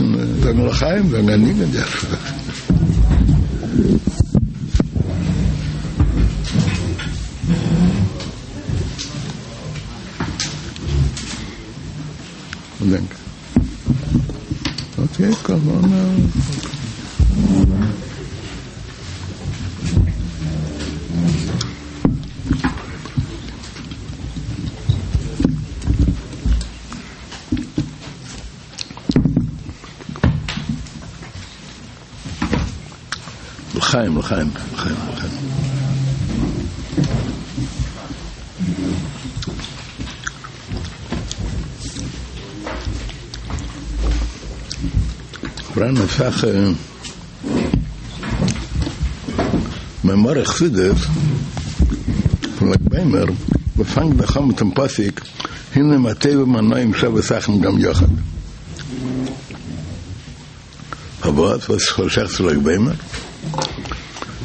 זיצן זאגן לחיים, זאגן א ניגון, די ערשטע זאך. דענק. אקעי, קאם אן. לחיים, לחיים, לחיים, לחיים. פאראן אסאך מאמרי חסידות פון ל"ג בעומר וואס פאנגט זיך אן מיטן פסוק הנה מה טוב ומה נעים שבת אחים גם יחד. פארוואס? וואס איז שייך צו ל"ג בעומר?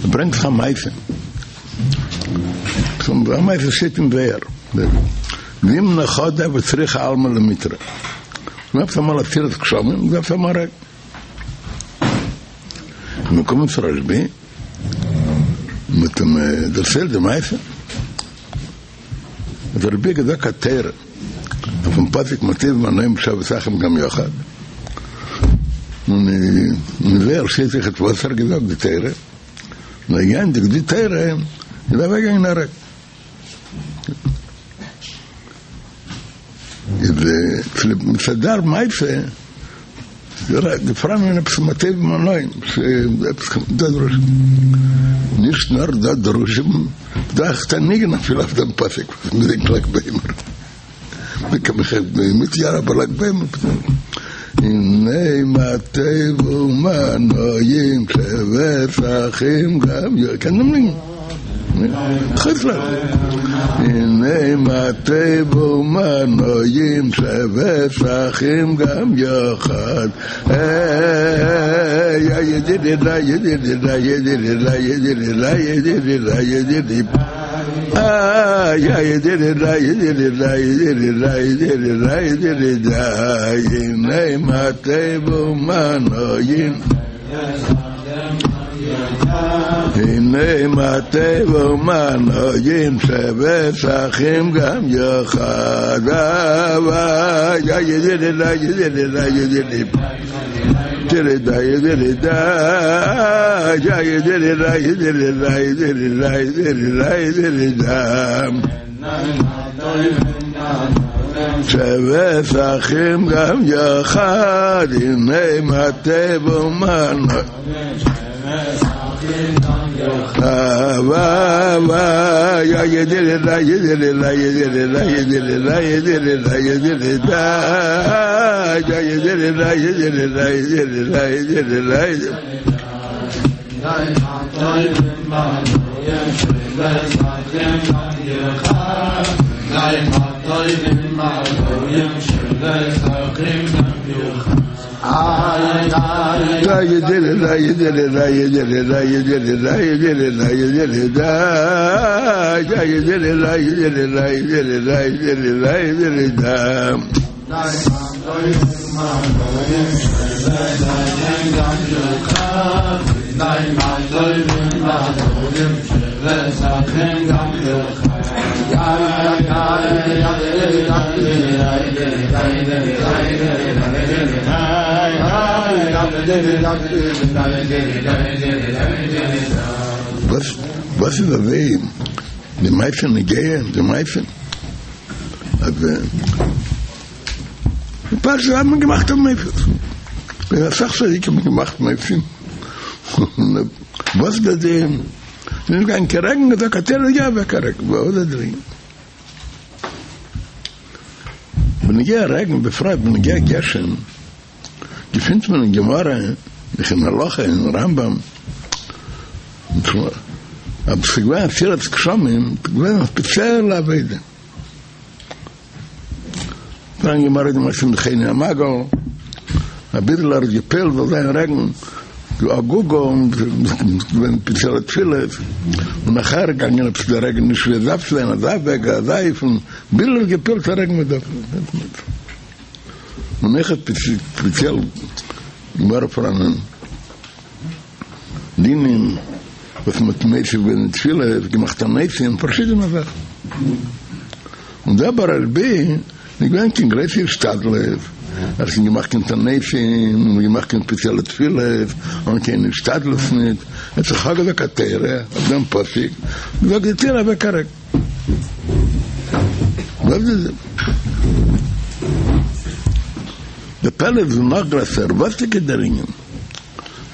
ער ברענגט זיך א מעשה. א מעשה שטייט אין זוהר. זימנא חדא הוה צריכא עלמא למיטרא. געווען אמאל עצירת גשמים, געדארפט האבן א רעגן. איז מען געקומען צו רשב"י, מ'האט אים דערציילט די מעשה. האט רשב"י געזאגט א תורה אויפן פסוק מה טוב ומה נעים שבת אחים גם יחד, און אין זוהר שטייט אויכעט וואס ער האט געזאגט די תורה, און ער געענדיגט די תורה איז אוועקגעגאנגען א רעגן. איז צוליב מצד דער מעשה איז פאראן עפעס מה טוב ומה נעים, עפעס דא דרוש, נישט נאר דא דרושים, דא אויך א ניגון אפילו אויף דעם פסוק וואס מ'זינגט ל"ג בעומר, מיט יאר אבער ל"ג בעומר, הנה מה טוב ומה נעים שבת אחים גם יחד, קען דעם ניגון? חוץ לארץ. הנה מה טוב ומה נעים שבת אחים גם יחד הנה מה טוב ומה נעים הנה מה טוב ומה נעים שבת אחים גם יחד שבת אחים גם יחד הנה מה טוב ומה וואס איז אזוי די מעשה נוגע די מעשה אז די פרשה האט מען געמאכט א מופת און אסאך צדיקים האבן געמאכט מופתים וואס איז די נישט גיין קיין רעגן איז א תורה יא וועק א רעגן וואס איז די בנוגע רעגן בפרט בנוגע גשם געפינט מען אין גמרא אויך אין הלכה אין רמב"ם אז ס'איז געווען עצירת גשמים איז געווען א ספעציעלע עבודה פאראן גמרא די מעשה מיט חוני המעגל א ביזל ער האט געפועלט זאל זיין רעגן אגוגא און געווען ספעציעלע תפילות און נאכער געגאנגען עפעס דער רעגן נישט ווי עס דארף צו זיין אזא וועג אזא אופן ביז ער האט געפועלט א רעגן ווי עס דארף צו זיין און אויכעט ספעציעל. גמרא פאראנען דינים וואס מ'האט מוסיף געווען אין תפילה, געמאכט תעניתים, פארשידענע זאכן. און דא ביי רשב"י נישט געווען קיין גרויסע השתדלות, ער האט נישט געמאכט קיין תעניתים, און געמאכט קיין ספעציעלע תפילות, און קיין השתדלות נישט, ער האט זיך אפגעזאגט א תורה אויף דעם פסוק, זאגט די תורה אוועק א רעגן. וואס איז די פלא איז נאך גרעסער, וואס איז דער ענין?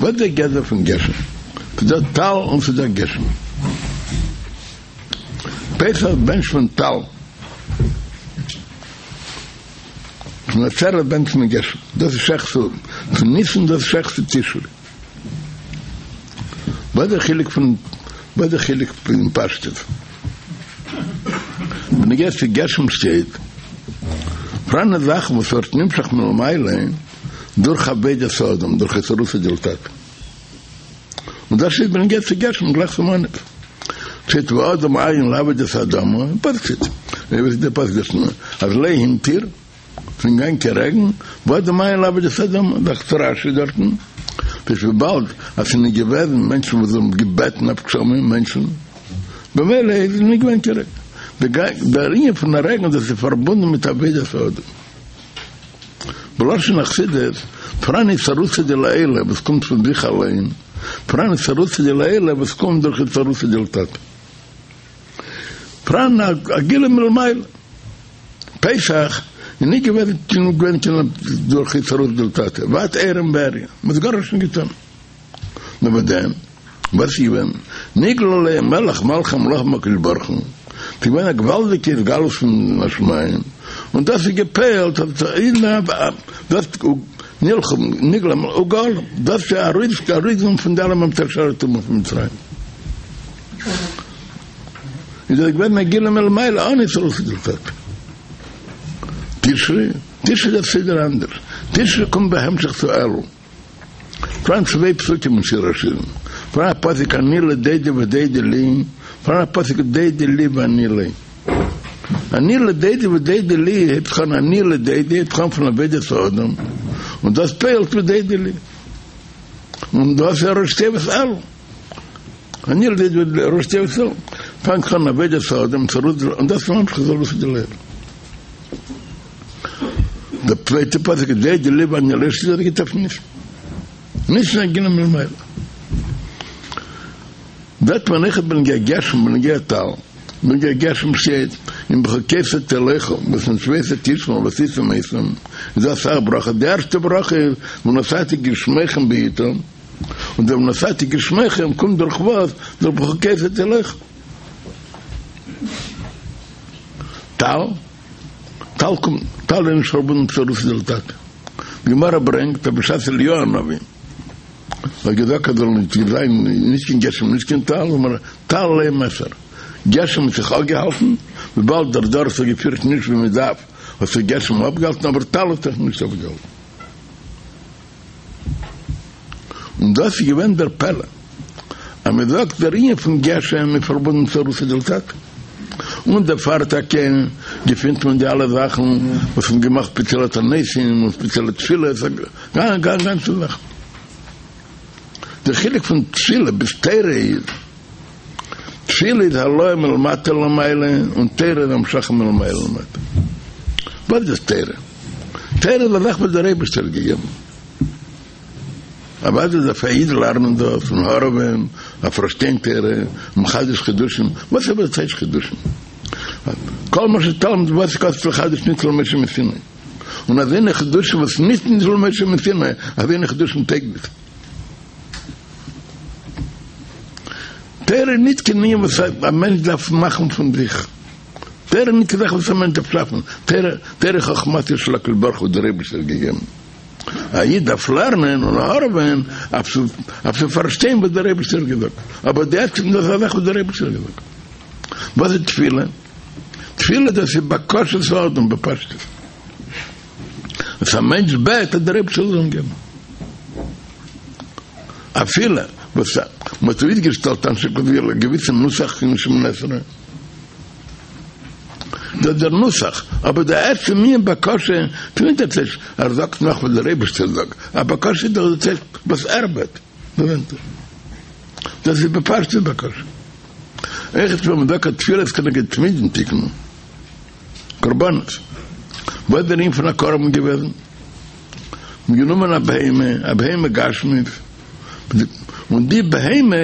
וואס איז דער גדר פון גשם? ס'איז דא טל און ס'איז דא גשם. פסח בענטשט מען טל, און עצרת בענטשט מען גשם, דאס איז שייך צו ניסן, דאס איז שייך צו תשרי. וואס איז דער חילוק פון וואס איז דער חילוק פון פשטות? בנוגע צו גשם שטייט פאראן א זאך וואס ווערט נמשך מלמעלה דורך עבודת האדם דורך אתערותא דלתתא. און דאס איז בנוגע צו גשם גלייך צום אנהייב שטייט והאדם אין לעבוד את האדמה, פסוק ווי דער פסוק דאס נאר אז לא המטיר ס'איז נישט געווען קיין רעגן, והאדם אין לעבוד את האדמה, זאגט רש"י דארטן, איז וויבאלד אז ס'איז נישט געוועזן מענטשן וואס האבן געבעטן אויף גשמים מענטשן, במילא איז נישט געווען קיין רעגן. דער ענין פון א רעגן דאס איז פארבונדן מיט עבודת האדם. בלשון החסידות, פאראן אתערותא דלעילא וואס קומט פון זיך אליין, פאראן אתערותא דלעילא וואס קומט דורך אתערותא דלתתא. פאראן א גילוי מלמעלה. פסח איז נישט געווען קיין דורך אתערותא דלתתא, ואת ערום ועריה, מ'האט גארנישט נישט געטון. נאר ביי דעם וואס איז געווען נגלה עליהם מלך מלכי המלכים הקדוש ברוך הוא, ס'איז געווען א געוואלדיגע התגלות פון השמים, און דאס איז געפועלט אז דאס נלכו נגלה וגאלם, דאס איז ארויס ארויסגענומען פון די אלע מ"ט שערי טומאה פון מצרים, איז דאס געווען א גילוי מלמעלה אן אתערותא דלתתא. תשרי, תשרי איז א סדר אנדערש, תשרי קומט בהמשך צו אלול. פאראן צוויי פסוקים אין שיר השירים, פאראן א פסוק אני לדודי ודודי לי, פאראן א פסוק דודי לי ואני לו. אני לדודי ודודי לי הייבט זיך אן אני לדודי הייבט זיך אן פון עבודת האדם, און דאס פועלט ודודי לי. און דאס איז ראשי תיבות אלול. אני לדודי ראשי תיבות אלול. פאנגט זיך אן עבודת האדם, און דאס ממשיך אתערותא דלעילא. דער צווייטער פסוק איז דודי לי ואני לו שטייט דארט גייט אויף ניסן. ניסן א גילוי מלמעלה. זעט מען אויכעט בנוגע גשם בנוגע טל. בנוגע גשם שטייט אם בחוקותי תלכו ואת מצוותי תשמרו ועשיתם אותם איז דא אסאך ברכות די ערשטע ברכה איז ונתתי גשמיכם בעתם און דער ונתתי גשמיכם קומט דורך וואס? דורך בחוקותי תלכו. טל, טל קומט, טל איז נישט פארבונדן מיט אתערותא דלתתא. די גמרא ברענגט אז בשעת אליהו הנביא האט געזאגט אז זאל נישט זיין נישט קיין גשם נישט קיין טל, אמר טל לא מיסר, גשם האט זיך אפגעהאלטן, וויבאלד דער דור האט זיך געפירט נישט ווי מען דארף האט זיך גשם אפגעהאלטן אבער טל האט זיך נישט אפגעהאלטן. און דאס איז געווען דער פלא, אז מען זאגט דער ענין פון גשם איז פארבונדן מיט אתערותא דלתתא, און דערפאר טאקע געפינט מען די אלע זאכן וואס מ'האט געמאכט ספעציעלע תעניתים און ספעציעלע תפילות, גאנצע זאכן. דער חילוק פון תפילה ביז תורה איז, תפילה איז העלאה מלמטה למעלה, און תורה איז המשכה מלמעלה למטה. וואס איז תורה? תורה איז א זאך וואס דער אייבערשטער האט געגעבן. אוודאי דארף א איד לערנען דאס און הארעווען אויף פארשטיין תורה, מחדש חידושים, וואס איז אבער טייטש חידושים? כל מה שתלמיד ותיק עתיד לחדש ניתנו למשה מסיני, און אזוינע חידושים וואס נישט ניתנו למשה מסיני, אזוינע חידושים טויג נישט. תורה איז ניט קיין ענין וואס א מענטש דארף מאכן פון זיך. תורה איז ניט קיין זאך וואס א מענטש דארף שאפן. תורה, תורה איז חכמתו של הקדוש ברוך הוא וואס דער אייבערשטער האט געגעבן. א איד דארף לערנען און הארעווען אויף צו אויף צו פארשטיין וואס דער אייבערשטער האט געזאגט. אבער די עצם דאס איז א זאך וואס דער אייבערשטער האט געזאגט. וואס איז תפילה? תפילה דאס איז בקשת האדם בפשטות. וואס א מענטש בעט אז דער אייבערשטער זאל אים געבן. אפילו וואס מ'האט אויסגעשטעלט אנשי כוז א געוויסע נוסח אין שמונה עשרה. דאס איז דער נוסח, אבער די עצם ענין בקשה איז נישט דער טייטש ער זאגט נאך וואס דער אייבערשטער זאגט, א בקשה איז דאך דער טייטש וואס ער בעט, דאס איז בפשטות בקשה. אויכעט ווען מען זאגט אז תפילות כנגד תמידין תקנו, קרבנות, וואס איז דער ענין פון א קרבן געוועזן? מ'האט גענומען א בהמה, א בהמה גשמית, און די בהמה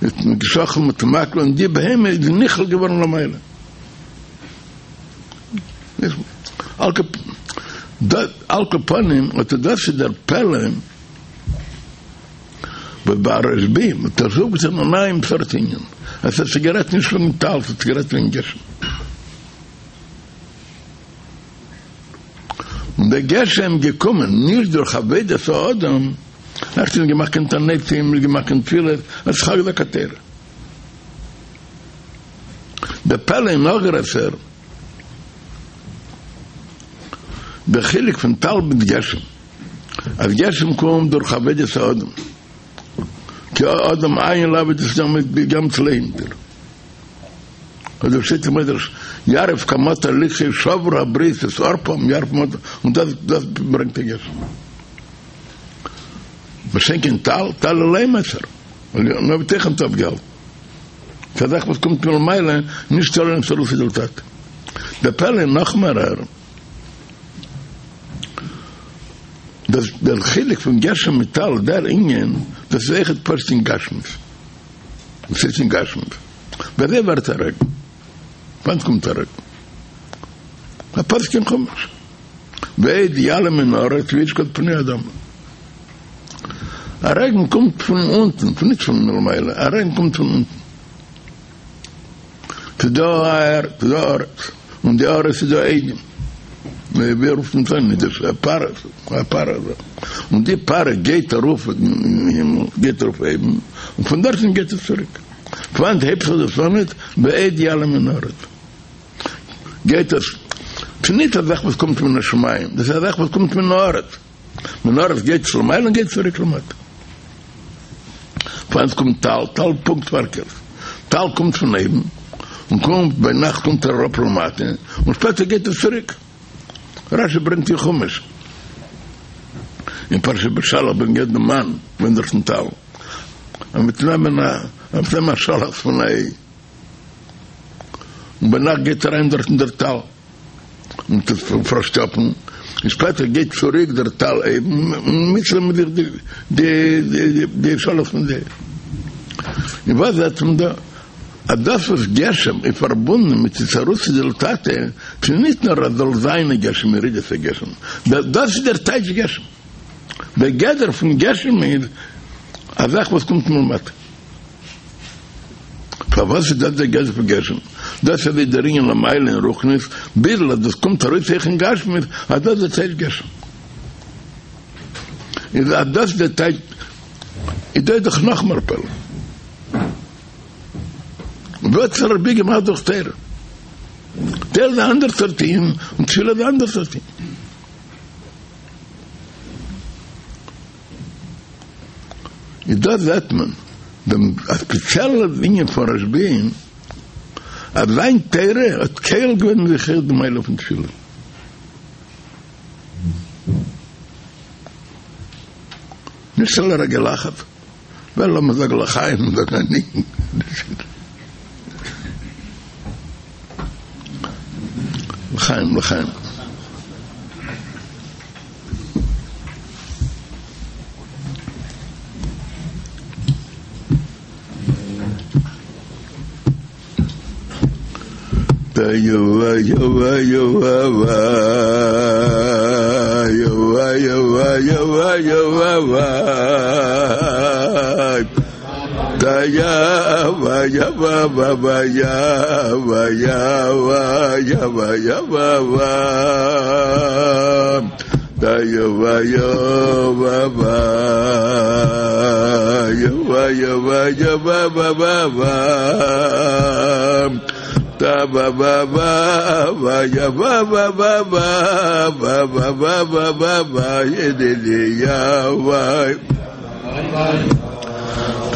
האט מען געשחט'ן מיט מקל, און די בהמה איז נכלל געווארן למעלה. על כל פנים, אט דאס איז דער פלא וואס ביי רשב"י האט ער אויפגעטון א נייעם סארט ענין, עס האט זיך גערעדט נישט וועגן טל, עס האט זיך גערעדט וועגן גשם. און דער גשם געקומען נישט דורך עבודת האדם, ער האט נישט געמאכט קיין תעניתים, נישט געמאכט קיין תפילות, ער האט זיך געזאגט א תורה. דער פלא איז נאך גרעסער, דער חילוק פון טל מיט גשם, אז גשם קומט דורך עבודת האדם, כי האדם אין לעבוד את גם צלעינטער. אזוי שטייט אין מדרש, ירף כמטר לקחי שברו הבריות את ערפם ירף כמטר, און דאס דאס ברענגט א גשם. מה שאין כן טל, טל לא מסר, נאר בתוכם האט אפגעהאלטן. ס'איז א זאך וואס קומט מלמעלה, נישט תלוי אין אתערותא דלתתא. דער פלא איז נאך מערער, דאס דער חילוק פון גשם מיט טל, דער ענין, דאס איז אויכעט פשוט אין גשמיות. וואס איז אין גשמיות? ווי אזוי ווערט א רעגן? וואנעט קומט א רעגן? א פסוק אין חומש. ואד יעלה מן הארץ וישקה את פני האדמה. א רעגן קומט פון אונטן, פון נישט פון מלמעלה, א רעגן קומט פון אונטן. ס'איז דא א ערד, ס'איז דא ארץ, און די ארץ איז דא אדים. ווי רופט מען עס אן? דאס איז א פארע, א פארע אזוי. און די פארע גייט ארויף אין הימל, גייט ארויף אויבן, און פון דארטן גייט עס צוריק. פון וואנעט הייבט זיך דאס אן? ואד יעלה מן הארץ. גייט עס, ס'איז נישט א זאך וואס קומט מן השמים, דאס איז א זאך וואס קומט מן הארץ. מן הארץ גייט עס למעלה און גייט צוריק למטה. פון וואנעט קומט טל, טל פונקט פארקערט, טל קומט פון אויבן און קומט ביינאכט קומט ער אראפ למטה און שפעטער גייט עס צוריק. רשי ברענגט אין חומש אין פרשת בשלח בנוגע דעם מן ווען דארטן טל אז מ'וועט נעמען א אז מ'וועט נעמען א שאלאכץ פון א איי און ביינאכט גייט אריין דארטן דער טל. און טוט פארשטאפן, און שפעטער גייט צוריק דער טל אויבן און מיטנעמען מיט זיך די די שאלעכץ פון די. און וואס זעט מען דא? אז דאס וואס גשם איז פארבונדן מיט אתערותא דלתתא, ס'איז נישט נאר אז זאל זיין א גשם ירידת הגשם, דאס איז דער טייטש גשם. דער גדר פון גשם איז א זאך וואס קומט מלמטה. פארוואס איז דאס דער גדר פון גשם? דאס איז ווי דער ענין למעלה אין רוחניות, ביזל אז דאס קומט ארויס אויך אין גשמיות, אז דאס איז דער טייטש גשם. איז אז דאס איז דער טייטש, איז דא איז דאך נאך מער פלא. וואס האט רשב"י געמאכט דורך תורה? תורה איז א אנדער סארט ענין, און תפילה איז א אנדער סארט ענין. איז דא זעט מען דעם ספעציעלע ענין פון רשב"י אז זיין תורה האט כולל געווען אין זיך אויך די מעלה פון תפילה. נישט על רגל אחת, ווען לאמיר זאגן לחיים זאגן א ניגון. לחיים לחיים.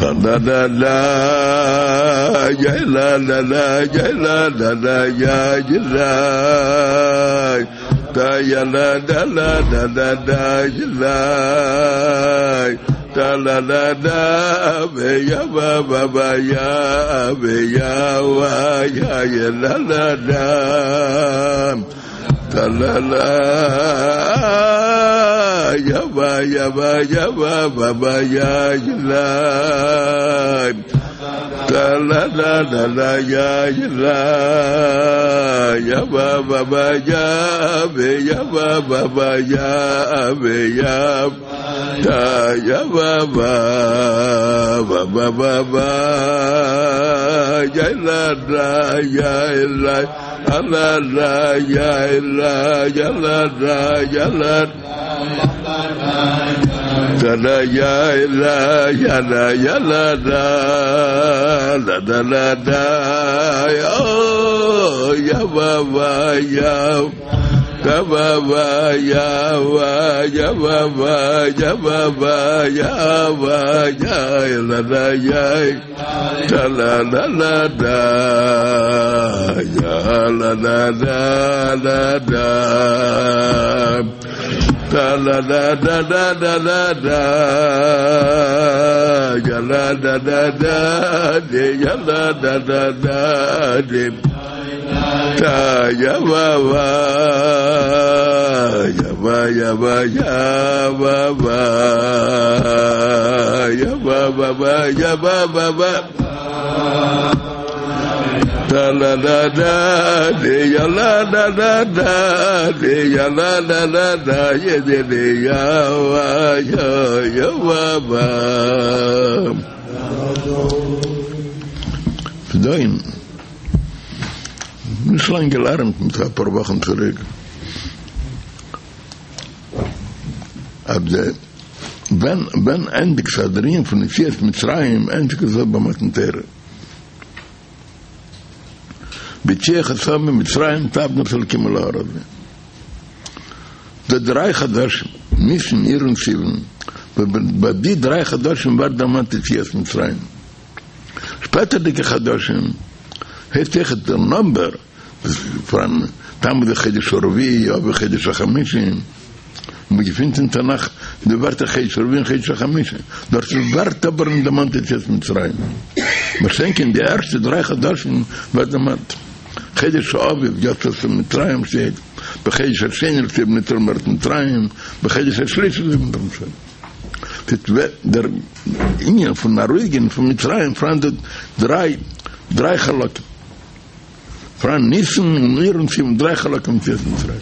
טא דא דא דא יא לא לא לא יא לא לא לא יא יא לא דא יא לא דא לא דא דא דא יא לא דא לא לא דא ו יא ו ו ו יא ו יא ו יא יא לא לא דא דא לא לא יא ו יא ו יא ו ו ו יא יא לא דא לא לא דא לא יא יא לא יא ו ו ו יא ו יא ו ו ו יא ו יא דא יא ו ו ו ו ו ו יא לא דא יא לא א לא לא יא לא יא לא דא יא לא דא לא יא לא יא לא יא לא דא לא דא לא דא יא ו ו יא דא ו ו יא ו יא ו ו יא ו ו יא ו יא לא לא יא דא לא לא לא דא יא לא לא דא לא דא דא לא לא דא דא דא לא דא יא לא דא דא דא יא לא דא דא דא דא יא ו ו יא ו יא ו יא ו ו יא ו ו ו יא ו ו ו דא לא דא דא יא לא דא דא דא יא לא דא דא דא יא יא יא ו יא יא ו ו פדוים נישט לאנג געלערנט מיט אפאר וואכן צוריק אז די ווען ווען ענדיגט זיך דער ענין פון יציאת מצרים ענדיגט זיך ביי מתן תורה בהוציאך את העם ממצרים תעבדון את האלקים על ההר הזה די דריי חדשים ניסן אייר און סיוון ביי די דריי חדשים ווערט דערמאנט יציאת מצרים שפעטערדיגע חדשים הייסט אויכעט דער נאמבער פון תמוז איז חודש הרביעי אב חודש החמישי און מען געפינט אין תנך די ווערטער חודש הרביעי און חודש החמישי דארט ווערט אבער נישט דערמאנט יציאת מצרים מה שאין כן די ערשטע דריי חדשים ווערט דערמאנט חודש האביב יצאת ממצרים שטייט בחודש השני להוציא בני ישראל מארץ מצרים בחודש השלישי דער ענין פון ארויסגיין פון מצרים פאראן דא דריי דריי חלקים פאראן ניסן און אייר און סיוון דריי חלקים יציאת מצרים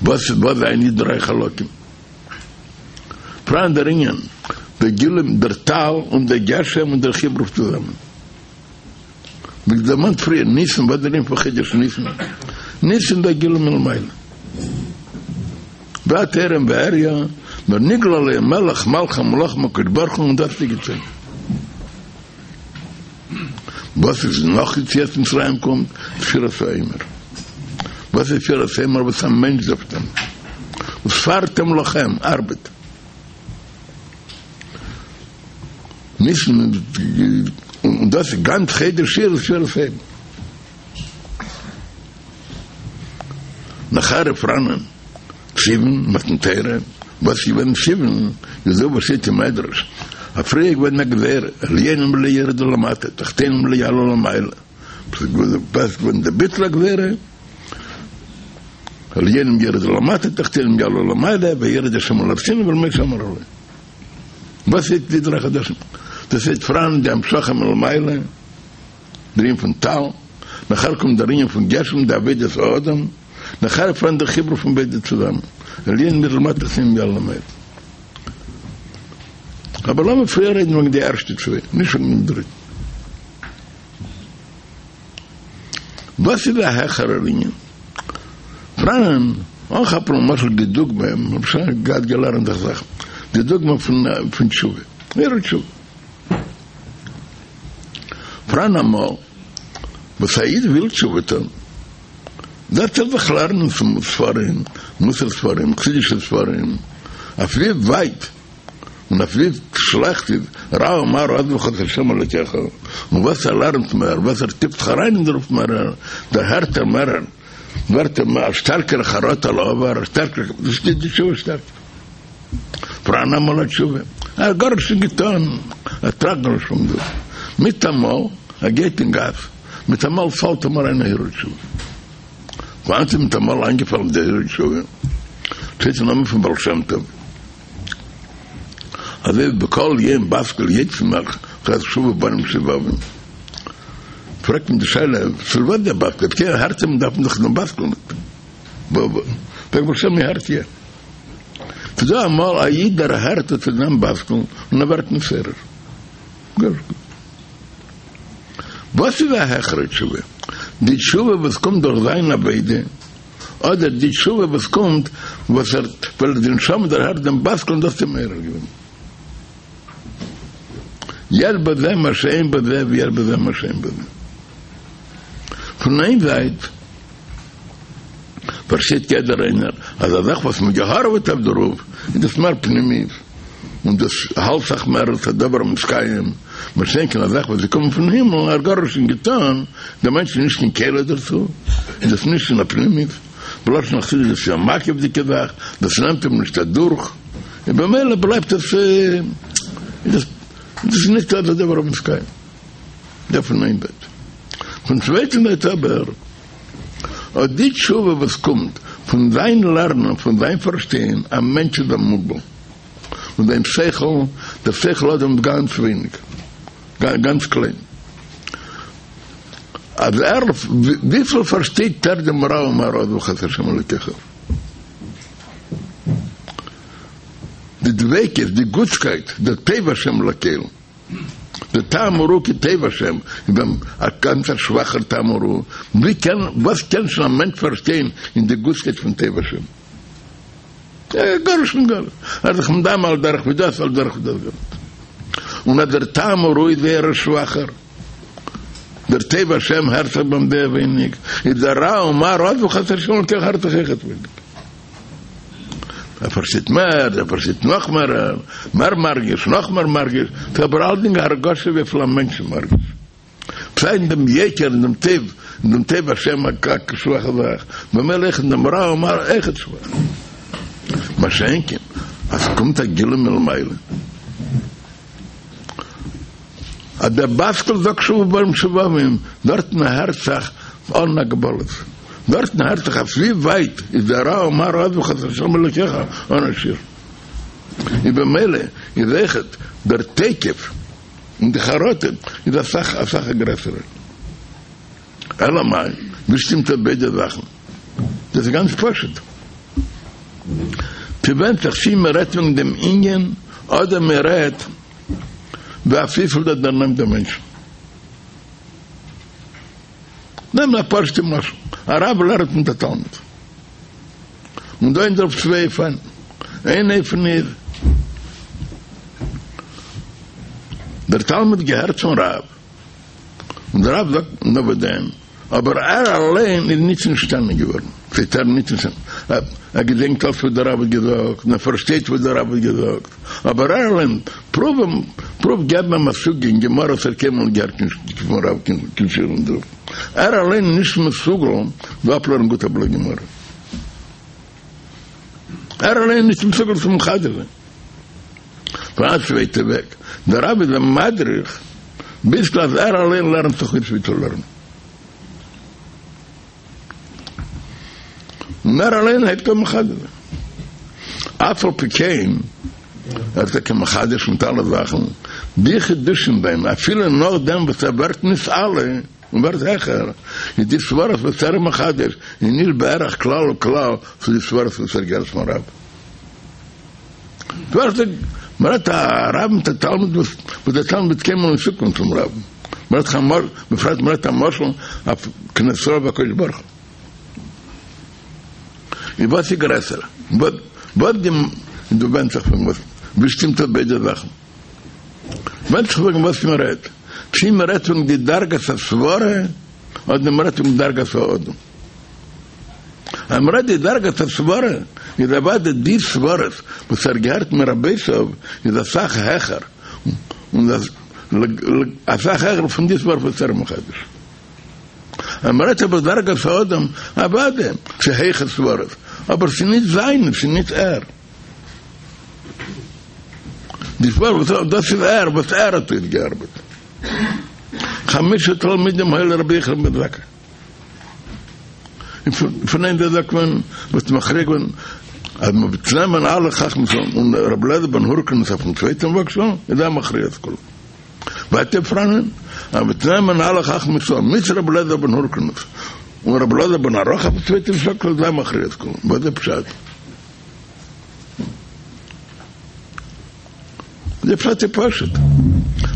וואס וואס זענען די דריי חלקים פאראן דער ענין דער גילוי דער טל און דער גשם און דער חיבור צוזאמען ווי דערמאנט פריער ניסן וואס דער ענין פון חודש ניסן ניסן דער גילוי מלמעלה ואת ערם ועריה נאר נגלה עליהם מלך מלכי המלכים הקדוש ברוך הוא און דאס איז געצויגן וואס איז נאך יציאת מצרים קומט ספירת העומר וואס איז ספירת העומר וואס א מענטש דארף טון וספרתם לכם ארבעט ניסן און דאס איז גאנץ חודש אייר ספירת העומר נאכער פראנען סיוון, מתן תורה, וואס איז געווען סיוון, איז דא וואס שטייט אין מדרש, אז פריער איז געווען א גזירה, עליונים לא ירדו למטה, תחתונים לא יעלו למעלה, וואס איז געווען די ביטול הגזירה, עליונים ירדו למטה, תחתונים יעלו למעלה, וירד השם על הר סיני ואל משה אמר עלה. וואס איז די דריי חדשים? דאס איז פראן די המשכה מלמעלה, דער ענין פון טל, נאכער קומט דער ענין פון גשם, די עבודת האדם, נאכער פאראן דער חיבור פון ביידע צוזאמען, עליונים ירדו למטה תחתונים יעלו למעלה. אבער לאמיר פריער רעדן וועגן די ערשטע צוויי, נישט וועגן דעם דריטן. וואס איז א העכערער ענין? פראנען, אנכאפן למשל די דוגמא, מיר האבן שוין געהאט געלערנט די זאך, די דוגמא פון תשובה, הרהור תשובה. פראן אמאל וואס א איד וויל תשובה טון, זעצט ער זיך לערנען ספרים, מוסר ספרים, חסידישע ספרים, אויף ווי ווייט און אויף ווי. שלעכט איז רע ומר עזבך את השם אלוקיך, און וואס ער לערנט מער, וואס ער טיפט זיך אריין אין דערויף מער, דערהערט ער מער, ווערט אים א שטארקערע חרטה על העבר, א שטארקערע, דאס איז די תשובה שטארקער. פאראן אמאל א תשובה, ער האט גארנישט נישט געטון, ער טראכט גארנישט פון דאס, מיטאמאל ער גייט אין גאס, מיטאמאל פאלט אים אריין א הרהור תשובה. וואנעט איז מיטאמאל איינגעפאלן די הרהור תשובה? שטייט אין נאמען פון בעל שם טוב, אזוי ווי בכל יום בת קול יוצאה מכרז שובו בנים שובבים. פרעגט מען די שאלה, צו וואס דער בת קול? אויב הערט מען דארף מען דאך דעם בת קול ניט. פרעגט בעל שם מ'הערט יא. ס'איז דא אמאל א איד דערהערט עס אין דעם בת קול און ער ווערט נתעורר. וואס איז א העכערע תשובה? די תשובה וואס קומט דורך זיין עבודה, אדער די תשובה וואס קומט וואס ער ווייל די נשמה דערהערט דעם בת קול און דאס האט אים מעורר געווען? יש בזה מה שאין בזה ויש בזה מה שאין בזה. פון איין זייט פארשטייט יעדער איינער אז א זאך וואס מ'האט געהארעוועט אויף דערויף איז דאס מער פנימית און דאס האלט זיך מער אלס א דבר המתקיים, מה שאין כן א זאך וואס איז געקומען פון הימל, ער האט גארנישט נישט געטון, דער מענטש איז נישט קיין כלי דערצו, איז דאס נישט אין א פנימית, בלשון החסידות איז עס א מקיף'דיגע זאך, דאס נעמט אים נישט אדורך, און במילא בלייבט עס איז דאס איז נישט א דבר המתקיים. דער פון איין זייט. פון צווייטן זייט אבער, אט די תשובה וואס קומט פון זיין לערנען, פון זיין פארשטיין, א מענטש איז א מוגבל, און זיין שכל, דער שכל האדם איז גאנץ ווייניג, גאנץ קליין. אז ער, וויפיל פארשטייט ער דעם רע ומר עזבך את השם אלוקיך? די דביקות, די גוטסקייט, דער טוב השם לכל. די טעם הראוי כי טוב השם איז ביי אים א גאנץ א שוואכער טעם הראוי, ווי קען, וואס קען שוין א מענטש פארשטיין אין די גוטסקייט פון טוב השם? גארנישט מיט גארנישט, ער איז זיך מדמה על דרך ווי דאס על דרך ווי דאס גארנישט. און אז דער טעם הראוי איז זייער א שוואכער, דער טוב השם הערט זיך ביי אים זייער ווייניג, איז דער רע ומר עזבך את השם אלקיך הערט זיך אויכעט ווייניג. ער פארשטייט מער, ער פארשטייט נאך מער, מער מרגיש, נאך מער מרגיש, ס'איז אבער אלדינג א הרגשה וויפיל א מענטש איז מרגיש. סיי אין דעם יוקר, אין דעם טוב, אין דעם טוב השם א שוואכע זאך, במילא אויך אין דעם רע ומר אויכעט שוואך. מה שאין כן, אז ס'קומט א גילוי מלמעלה, אז דער בת קול זאגט שובו בנים שובבים, דארטן הערט זיך אן הגבלות, דארטן הערט זיך אויף ווי ווייט איז דער רע ומר עזבך את השם אלוקיך אן א שיעור. איז במילא איז אויכעט דער תוקף און די חרטה איז אסאך אסאך א גרעסערע. אלא מאי, ווי שטימט אויס ביידע זאכן? דאס איז גאנץ פשוט. ס'ווענדט זיך צי מ'רעדט וועגן דעם ענין, אדער מ'רעדט אויף וויפיל דאס דערנעמט דעם מענטשן. נעם א פשוט'ע משל, א רב לערנט מיט א תלמיד, און דא איז אויף צוויי אופנים, איין אופן איז, דער תלמיד געהערט פון רב, און דער רב זאגט נאר וואדען, אבער ער אליין איז נישט נשתנה געווארן, ס'הייסט ער נישט נשתנה, ער געדענקט אלץ וואס דער רב האט געזאגט, און ער פארשטייט וואס דער רב האט געזאגט, אבער ער אליין, פרואוו אים, פרואוו געבן אים א סוגיא אין גמרא וואס ער האט קיינמאל נישט געהערט פון רב קיין שיעור אין דערויף, ער אליין איז נישט מסוגל צו אפלערנען גוט א בלאט גמרא, ער אליין איז נישט מסוגל צו מחדש זיין. פאראן א צווייטע וועג, דער רב איז אים מדריך ביזקל אז ער אליין לערנט זיך אויס ווי צו לערנען, און ער אליין הייבט אן מחדש זיין, אף על פי כן ער איז טאקע מחדש מיט אלע זאכן, די חידושים זיינען אפילו נאכדעם וואס ער ווערט נתעלה און ווערט העכער, איז די סברות וואס ער איז מחדש איז נישט בערך כלל וכלל צו די סברות וואס ער האט געהערט פון רב. ווערט מ'רעדט א רב מיט א תלמיד וואס וואס דער תלמיד וועט קיינמאל נישט צוקומען צום רב, מ'רעדט א משל, בפרט מ'רעדט א משל אויף כנסת ישראל והקדוש ברוך הוא. איז וואס איז גרעסער? וואס די דא ווענדט זיך פון וואס ווי שטימט אויס ביידע זאכן? ווענדט זיך וועגן וואס מ'רעדט, צי מ'רעדט פון די דרגת הסברה אדער מ'רעדט פון דרגת האדם. אז מ'רעדט די דרגת הסברה, איז אוודאי די סברות וואס ער געהערט מרבותיו איז אסאך העכער. און אסאך העכער פון די סברא וואס ער מחדש. אז מ'רעדט אבער דרגת האדם, אוודאי, ס'איז הויכע סברות, אבער ס'איז נישט זיינע, ס'איז נישט ער. די סברות וואס דאס איז ער, וואס ער האט אויסגעארבעט. חמשה תלמידים היו לרבי יוחנן בן זכאי. און פון איין זייט זאגט מען וואס מכריע געווען אז מען וועט נעמען אלע חכמי ישראל און רבי אליעזר בן הורקנוס אויפן צווייטן וואגשאל איז ער מכריע את כולם. ווייטער פראנען אז מ'וועט נעמען אלע חכמי ישראל מיט רבי אליעזר בן הורקנוס און רבי אלעזר בן ערך אויפן צווייטן שאקל איז ער מכריע את כולם. וואס איז פשט? די פשט איז פשוט.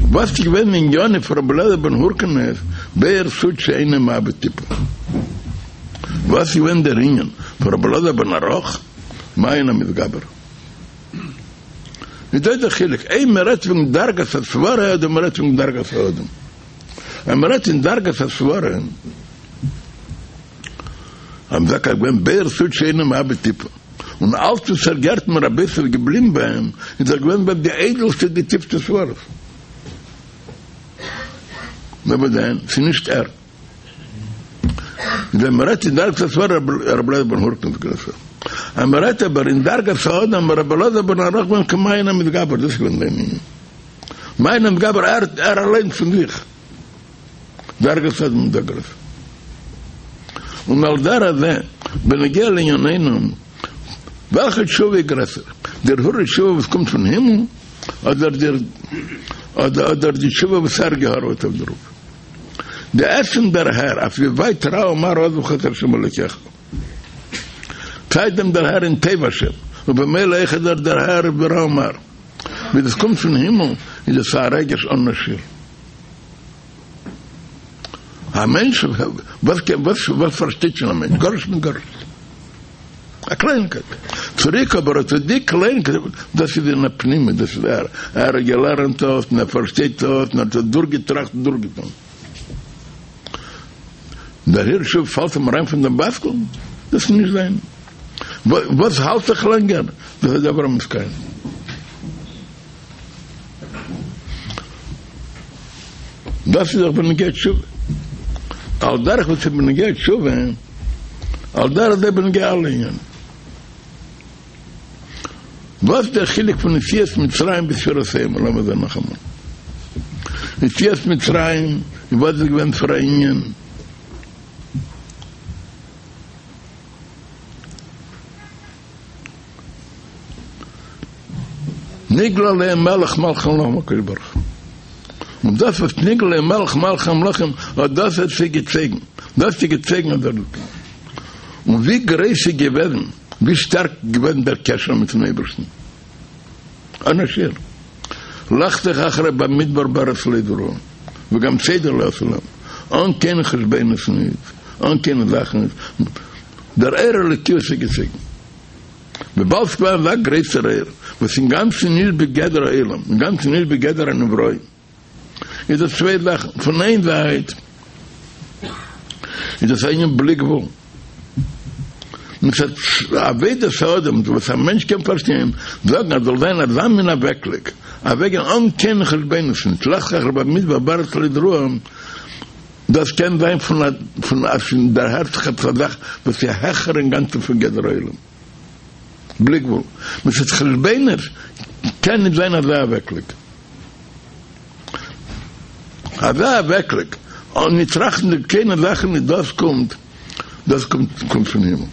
וואס איז געווען ענינו פון רבי אליעזר בן הורקנוס באר סוד שאינו מאבד טיפה? וואס איז געווען דער ענין פון רבי אלעזר בן ערך מעיין המתגבר? איז דא דער חילוק אויב מען רעדט וועגן דרגת הסברה אדער מען רעדט וועגן דרגת האדם. אויב מען רעדט אין דרגת הסברה, אז מ'זאגט אז געווען באר סוד שאינו מאבד טיפה, און אלץ וואס ער געהערט מרבותיו איז געבליבן ביי אים, איז ער געווען ביי די איידעלסטע די טיפסטע סברות. נאר וואס דען, ס'איז נישט ער. ווען מ'רעדט אין דרגת הסברה רבי אליעזר בן הורקנוס גרעסער. אז מ'רעדט אבער אין דרגת האדם רבי אלעזר בן ערך געווען כמעיין המתגבר, דאס איז געווען זיין ענין. מעיין המתגבר ער ער אליין פון זיך. דרגת האדם דא גרעסער. און על דרך זה, בנוגע לענינינו, וועלכע תשובה איז גרעסער, די הרהור תשובה וואס קומט פון הימל, אדער די אדער די תשובה וואס ער געהארוועט אויף דערויף? די עצם דערהער אויף ווי ווייט רע ומר עזבך את השם אלוקיך. סיי דעם דערהער אין טוב השם, ובמילא אויכעט דער דערהער ברע ומר. ווי דאס קומט פון הימל איז עס א רגש אן א שיעור. א מענטש, וואס קען, וואס וואס פארשטייט שוין א מענטש? גארנישט מיט גארנישט. א קלייניקייט. צוריק אבער אט די קלייניקייט, דאס איז אין א פנימי, דאס איז ער. ער האט געלערנט דאס, און ער פארשטייט דאס, און ער האט עס דורכגעטראכט און דורכגעטון. דער הרהור תשובה פאלט אים אריין פון דעם בת קול, דאס איז נישט זיין. וואס האלט זיך לענגער, דאס איז דבר המתקיים. דאס איז דאך בנוגע תשובה. על דרך וואס איז בנוגע תשובה, על דרך זה בנוגע אלע ענינים. וואס איז דער חילוק פון יציאת מצרים ביז ספירת העומר? לאמיר זען נאכאמאל. יציאת מצרים, וואס איז געווען פאר א ענין? נגלה עליהם מלך מלכי המלכים הקדוש ברוך הוא. און דאס וואס נגלה עליהם מלך מלכי המלכים, אט דאס האט זיי געצויגן, דאס האט זיי געצויגן אט דער און ווי גרויס איז געוועזן, ווי שטארק איז געוועזן דער קשר מיטן אייבערשטן, אן א שיעור. לכתך אחרי במדבר בארץ לא זרועה, וגם צידה לא עשו להם, אן קיינע חשבונות ניט, אן קיינע זאכן ניט, דער אור אלוקי האט זיי געצויגן. וויבאלד ס'געווען אזא גרויסער אור, וואס אינגאנצן נישט בגדר העולם, אינגאנצן נישט בגדר הנבראים, איז דאס צוויי זאכן, פון איין זייט איז דאס א ענין בלי גבול, מצד עבודת האדם וואס א מענטש קען פארשטיין, זאגן אז זאל זיין אזא מין אוועקלייג, אוועקגיין אן קיין חשבונות, נישט לכתך אחרי במדבר בארץ לא זרועה, דאס קען זיין פון א פון אז ס'דערהערט זיך עפעס א זאך וואס איז העכער אינגאנצן פון גדר העולם. בלי גבול. מצד חשבונות קען נישט זיין אזא אוועקלייג. אזא אוועקלייג אן נישט טראכטנדיג קיינע זאכן נישט דאס קומט דאס קומט קומט פון הימל.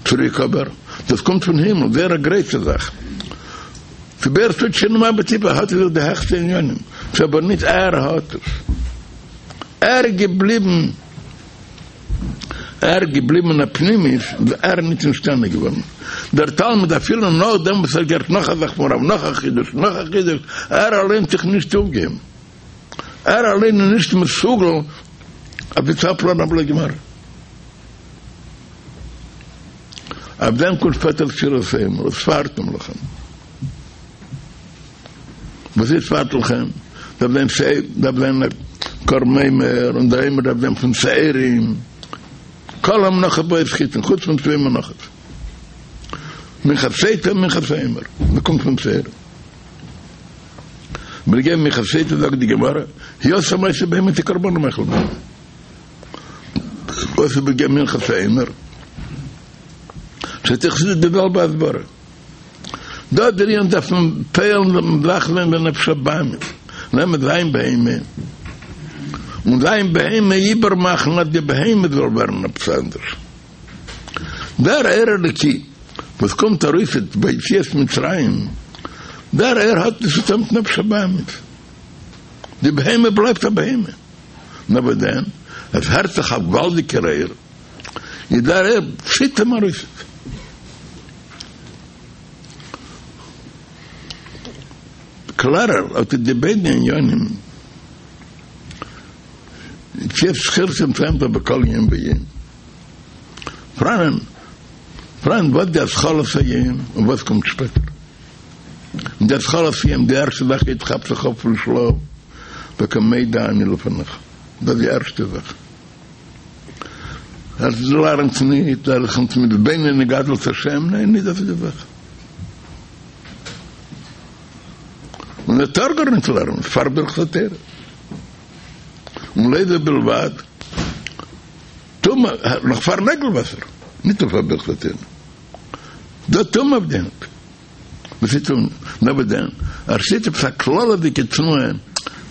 צוריק אבער דאס קומט פון הימל זייער א גרויסע זאך. ס'איז באר סוד שאינו מאבד טיפה האט אין זיך די העכסטע עניינים, ס'איז אבער ניט ער האט עס. ער איז געבליבן, ער איז געבליבן אין א פנימיות, איז ער ניט נשתנה געווארן. דער תלמיד אפילו נאכדעם וואס ער האט געהערט נאך א זאך פון רב, נאך א חידוש, נאך א חידוש, ער אליין האט זיך נישט אויפגעהויבן. ער אליין איז נישט מסוגל אויף צו אפלערנען א בלאט גמרא. אויף דעם קומט שפעטער ספירת העומר, וספרתם לכם. וואס איז וספרתם לכם? דארף זיין שעיר, דארף זיין א קרבן עומר, און דער עומר דארף זיין פון שעירים. כל המנחות באות חיטין, חוץ פון צוויי מנחות. מנחת סוטה און מנחת העומר, דאס קומט פון שעירים. בנוגע מנחת סוטה זאגט די גמרא, הוא עשה מעשה בהמה כקרבנו מאכל בהמה. וואס איז בנוגע מנחת העומר? שטייט אין חסידות די זעלבע הסברה. דא דער ענין דארף מען פועל'ן זאך זיין בנפש הבהמית, נעמען זיין בהמה און זיין בהמה איבערמאכן אז די בהמה זאל ווערן עפעס אנדערש. דער אור אלוקי וואס קומט ארויס ביי יציאת מצרים, דער אור האט נישט צו טון מיט נפש הבהמית, די בהמה בלייבט א בהמה, נאר וואס דען, עס הערט זיך א געוואלדיגער אור, איז דער אור ציט אים ארויס. קלארער אט די ביידע עניינים. יציאת זכירת מצרים בכל יום ויום. פראנען, פראן וואס די התחלת היום און וואס קומט שפעטער. און די התחלת היום, די ערשטע זאך איד כאפט זיך אויף פון שלאף, זאגט ער מודה אני לפניך. דאס איז די ערשטע זאך. ער לערנט ניט, ער איז ניט מתבונן אין גדלות השם, ניין, ניט דאס איז די זאך. און ער טאר גארניט לערנען פאר ברכת התורה. און לא זו בלבד, טומאה, נאך פאר נעגל וואסער, ניט נאר פאר ברכת התורה. דא טומאה אויף די הענט. וואס איז טומאה? נאר וואס דען? ער שטייט עפעס א כללות'דיגע תנועה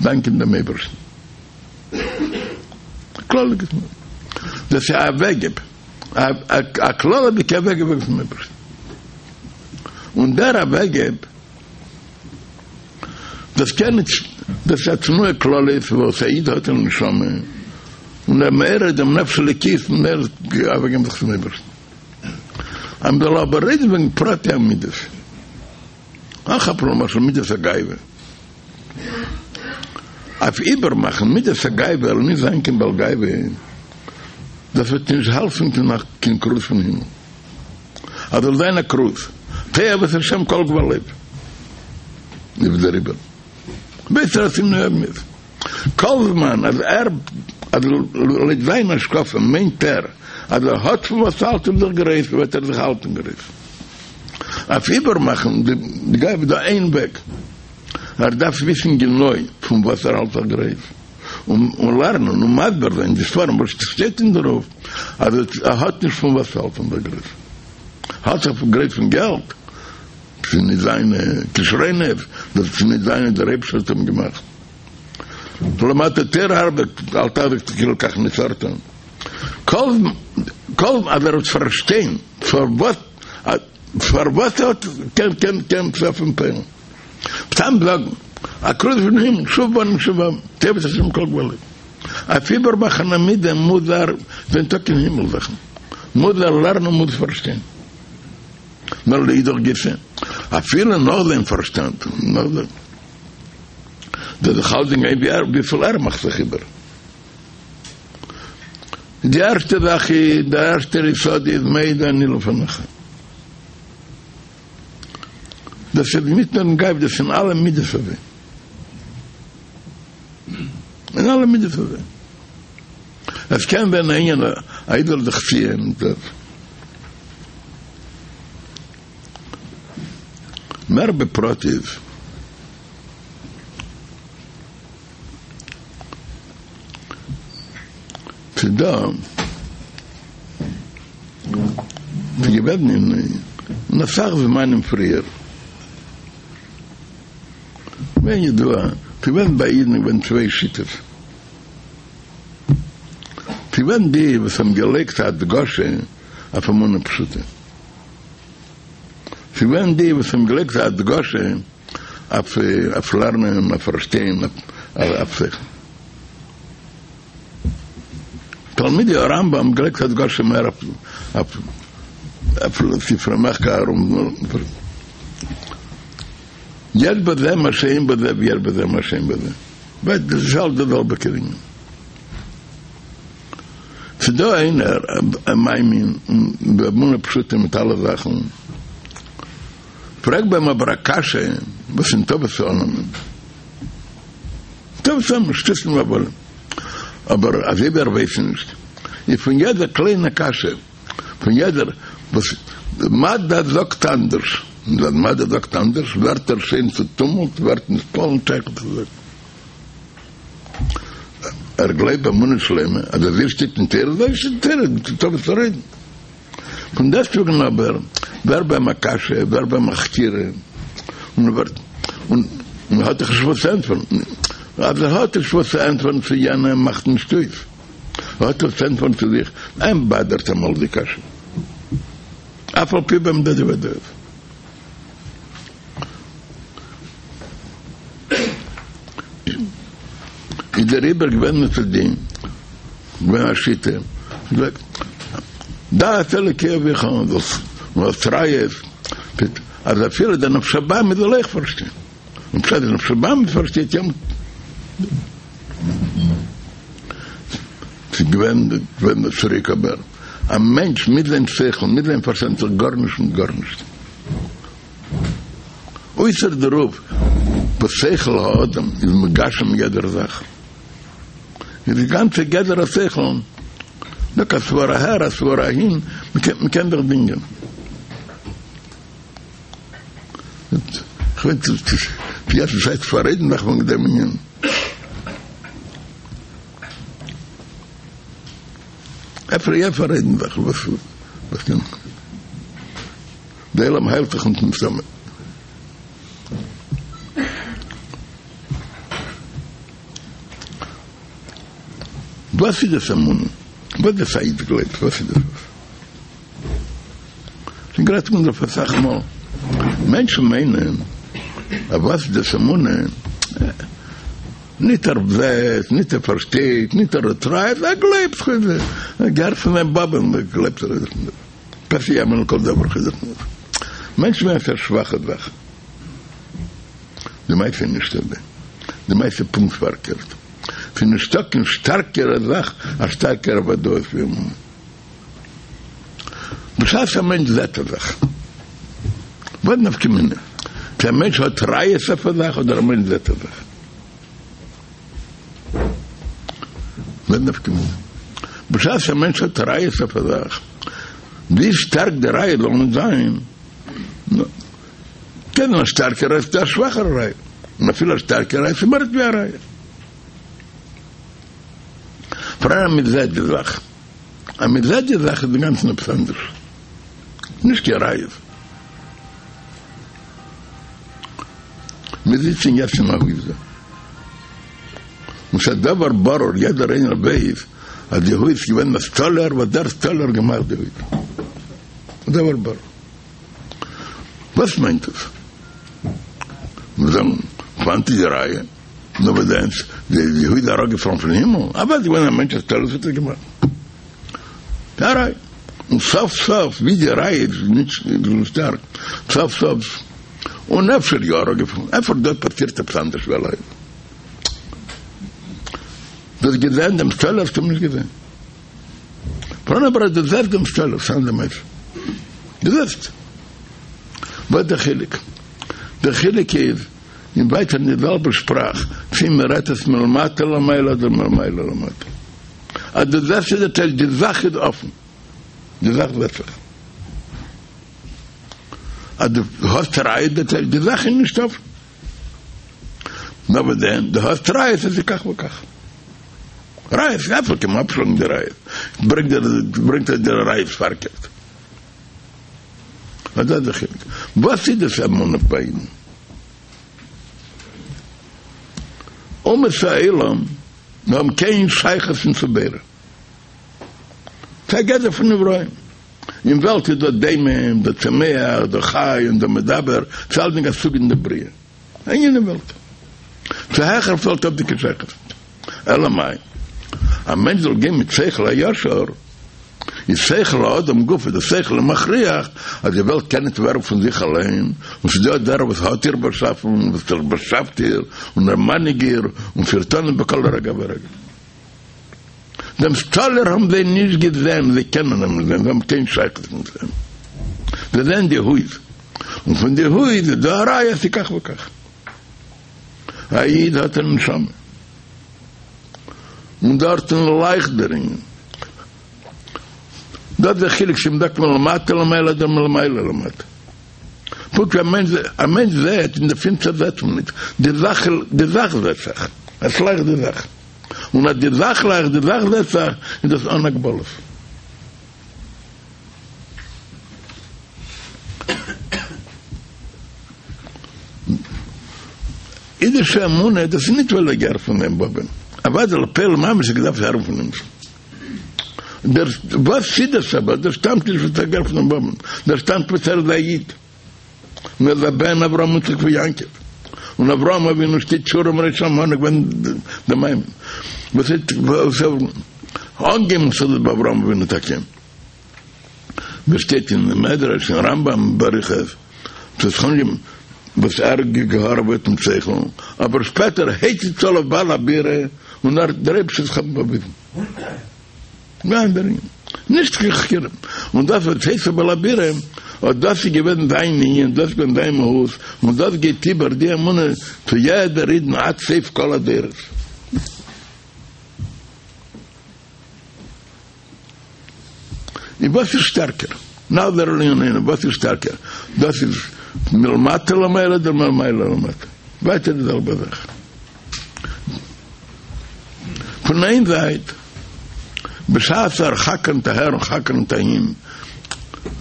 דאנקען דעם אייבערשטן. כללות'דיגע תנועה. דאס איז א אוועקגעב, א כללות'דיגע אוועקגעב פון אייבערשטן. און דער אוועקגעב דאס קען נישט, דאס איז א תנועה כללית וואס א איד האט אין נשמה, און ער מעורר דעם נפש אלוקית און ער אוועקגעבן זיך צום אייבערשטן. אז מ'זאל אבער רעדן וועגן פרטי המידות, אנכאפן למשל מידת הגאווה, אויף איבערמאכן מידת הגאווה ער זאל נישט זיין קיין בעל גאווה, דאס וועט נישט העלפן קיין כרוז פון הימל. אז זאל זיין א כרוז, תועבת השם כל גבה לב, איז דעריבער ווייסט ער אז ס'איז אמת, כל זמן אז ער אז לויט זיין השקפה מיינט ער אז ער האט פון וואס האלטן זיך גרויס וועט ער זיך האלטן גרויס. אויף איבערמאכן די גאווה איז דא איין וועג, ער דארף וויסן גענוי פון וואס ער האלט זיך גרויס, און לערנען און מסביר זיין די ספרים וואס שטייט אין דערויף אז ער האט נישט פון וואס האלטן זיך גרויס. האלט זיך גרויס פון געלט, ס'איז נישט זיינע כשרונות, דאס איז נישט זיינע, דער אייבערשטער האט אים געמאכט. למדת תורה הרבה, אל תחזיק כאילו כך נוצרת. כל כל אז ער וועט פארשטיין פארוואס פארוואס ער האט קען קען קען טרעפן פועל'ן. סתם זאגן א כרוז פון הימל שוב בנים שובבים תועבת השם כל גבה לב. אויף איבערמאכן א מידה מוז ער זיין טאקע אין הימל זאכן מוז ער לערנען מוז פארשטיין. נאר לאידך גיסא אפילו נאך זיין פארשטאנד נאך דעם דאס זיך האלטן ווי ער וויפיל ער מאכט זיך איבער. די ערשטע זאך איז דער ערשטער יסוד איז מודה אני לפניך. דאס איז ניט נאר אין גאווה, דאס איז אין אלע מידות אזוי. אין אלע מידות אזוי. עס קען זיין א ענין א איד זאל זיך ציען דאס. מער בפרטיות. ס'איז דא, ס'איז געווען אין אסאך זמנים פריער, געווען ידוע, ס'איז געווען ביי אידן געווען צוויי שיטות, ס'איז געווען די וואס האבן געלייגט א הדגשה אויף אמונה פשוטה, ס'איז געווען די וואס האבן געלייגט א הדגשה אויף לערנען, אויף פארשטיין, אויף שכל. תלמידי הרמב"ם האבן געלייגט הדגשה מער אויף ספרי מחקר און יש בזה מה שאין בזה ויש בזה מה שאין בזה. דאס איז אלס די זעלבע ענין. ס'דא איינער א מאמין באמונה פשוטה מיט אלע זאכן. פרעג ביי אים אבער א קשיא וואס אין ניטא וואס צו אננעמען. ניטא וואס אננעמען, שטותים והבלים. אבער אזוי ווי ער ווייסט נישט, איז פון יעדער קליינע קשיא, פון יעדער וואס מדע זאגט אנדערש. און אז מדע זאגט אנדערש ווערט ער שוין צוטומלט, ווערט נתפעל און שייך צו זאגן. ער גלייבט באמונה שלימה אז אזוי שטייט אין תורה, אזוי שטייט אין תורה, נישטא וואס צו רעדן. פון דעסטוועגן אבער ווערט ביי אים א קשיא, ווערט ביי אים א חקירה, און ער ווערט, און ער האט דאך נישט וואס צו ענטפערן. אז ער האט נישט וואס צו ענטפערן צו יענעם מאכט נישט אויס, ער האט וואס צו ענטפערן צו זיך, אים באדערט אמאל די קשיא. אף על פי ביי אים דא די ודאות. איז דעריבער געווען מצד דעם געווען א שיטה זאגט דע את אלוקי אביך און האסט ראיות אז אפילו דער נפש הבהמית זאל אויך פארשטיין און בשעת דער נפש הבהמית פארשטייט יא ס'איז געווען געווען צוריק אבער א מענטש מיט זיין שכל מיט זיין פארשטאנד איז גארנישט מיט גארנישט. אויסער דערויף וואס שכל האדם איז מגשם יעדער זאך, איז די גאנצע גדר השכל דא א סברא אהער א סברא אהין, מ'קען זיך דינגען. כ'ווייס נישט צו יעצט איז צייט צו פאררעדן זיך וועגן דעם ענין. אפשר יא פאררעדן זיך וואס וואס קען. די עולם היילט זיך נישט מסתמא. וואס איז דאס אמונה? וואס דאס א איד גלייבט? וואס איז דאס? שוין גערעדט פון דערויף אסאך מאל. מענטשן מיינען אז וואס איז דאס אמונה? ניט ער זעט, ניט ער פארשטייט, ניט ער האט ראיות, ער גלייבט, ער געהערט פון זיין באבען, גלייבט ער עס. פה שיאמין לכל דבר חזק מאוד. מענטשן מיינען ס'איז א שוואכע זאך. די מעשה איז נישט אזוי. די מעשה איז פונקט פארקערט. ס'איז נישטא קיין שטארקערע זאך, א שטארקערע וודאות ווי אמונה. בשעת א מענטש זעט א זאך, וואס נפקא מינה צו א מענטש האט ראיות אויף א זאך אדער א מענטש זעט א זאך? וואס נפקא מינה? בשעת א מענטש האט ראיות אויף א זאך, ווי שטארק די ראיה זאל נישט זיין, קען זיין א שטארקע ראיה ס'דא א שוואכערע ראיה, און אפילו א שטארקע ראיה איז מער ווי א ראיה. פאראן אז מען זעט די זאך, אז מען זעט די זאך איז אינגאנצן עפעס אנדערש, נישט קיין ראיות. מיר זיצן יעצט אין א הויז דא, און ס'איז א דבר ברור, יעדער איינער ווייס אז די הויז איז געווען א סטאלער וואס דער סטאלער האט געמאכט די הויז. א דבר ברור. וואס מיינט דאס? מיר זאגן, וואנעט איז די ראיה? נו וואס דען? די הויז איז אראפגעפאלן פון הימל? אוודאי איז געווען א מענטש א סטאלער וואס האט עס געמאכט. די ראיה. און סוף סוף ווי די ראיה איז נישט שטארק, סוף סוף, און אפשר יא אראפגעפאלן, אפשר דארט פאסירט עפעס אנדערש ווי אליין. דו האסט געזען דעם סטאלער? האסט אים נישט געזען. פאראן אבער אז דו זעסט דעם סטאלער, ס'איז אן אנדער מעשה. דו זעסט. וואס איז דער חילוק? דער חילוק איז, אין ווייטער אין די זעלבע שפראך, צי מען רעדט עס מלמטה למעלה אדער מלמעלה למטה. אז דו זעסט איז דער טייטש, די זאך איז אפן. די זאך זעט זיך. אז דו האסט ראיות דער טייטש, די זאך איז נישט אפן. נאר וואס דען, דו האסט ראיות אז ס'איז כך וכך. ראיות, אפשר קען מען אפשלאגן די ראיות. ברענגט ער, ברענגט ער די ראיות פארקערט. אט דאס איז די חילוק. וואס איז דאס אמונה ביי אידן? אומות העולם האבן קיין שייכות נישט צו בורא. ס'איז א גדר פון נבראים. אין וועלט איז דא דומם, דא צומח, דא חי און דא מדבר, ס'איז אלדינג א סוג אין די בריאה. א ענין אין וועלט. צו העכער וועלט האט נישט קיין שייכות. אלא מאי? א מענטש זאל גיין מיט שכל הישר, איז שכל האדם גופא, דער שכל איז מכריח אז די וועלט קען נישט ווערן פון זיך אליין, און ס'איז דא דער וואס האט איר באשאפן, וואס ער באשאפט איר, און ער מנהיג איר, און פירט אן בכל רגע ורגע. דעם סטאלער האבן זיי נישט געזען, זיי קענען אים נישט זען, זיי האבן קיין שייכות נישט מיט אים. זיי זעען די הויז, און פון די הויז איז דא א ראיה אז ס'איז כך וכך. א איד האט א נשמה, און דארטן לייכט דער ענין. דאס איז דער חילוק צו מ'זאגט מלמטה למעלה אדער מלמעלה למטה. פונקט ווי א מענטש, א מענטש זעט, אין די פינסטער זעט מען ניט, די זאך, די זאך זעט זיך, עס לייכט די זאך. און אז די זאך לייכט, די זאך זעט זיך, איז דאס אן הגבלות. אידישע אמונה, דאס איז ניט ווייל ער געהערט פון זיין באבען, אוודאי לפועל ממש האט געדארפט הערן פון אים. דער וואס איז דאס אבער? דאס שטאמט נישט וואס ער געהערט פון זיין באבען, דאס שטאמט וואס ער איז א איד, און ער איז א בן אברהם יצחק ויעקב, און אברהם אבינו שטייט סור מרע האמנה געווען דער מאמין וואס האט אנגעהויבן צו ביי אברהם אבינו טאקע, ווי שטייט אין מדרש אין רמב"ם באריכות, ס'איז אנגעהויבן וואס ער האט געהארעוועט מיט שכל, אבער שפעטער הציץ עליו בעל הבירה און ער האט דער אייבערשטער זיך באוויזן. ניין דער ענין, נישט קיין חקירה, און דאס וואס הציץ בעל הבירה, אט דאס איז געווען זיין ענין, דאס איז געווען זיין מהות, און דאס גייט איבער די אמונה צו יעדער אידן עד סוף כל הדורות. און וואס איז שטערקער? נחזור לענינינו, וואס איז שטערקער? דאס איז מלמטה למעלה אדער מלמעלה למטה? ווייטער די זעלבע זאך. פון איין זייט, בשעת ער חקרנ'ט אהער און חקרנ'ט אהין,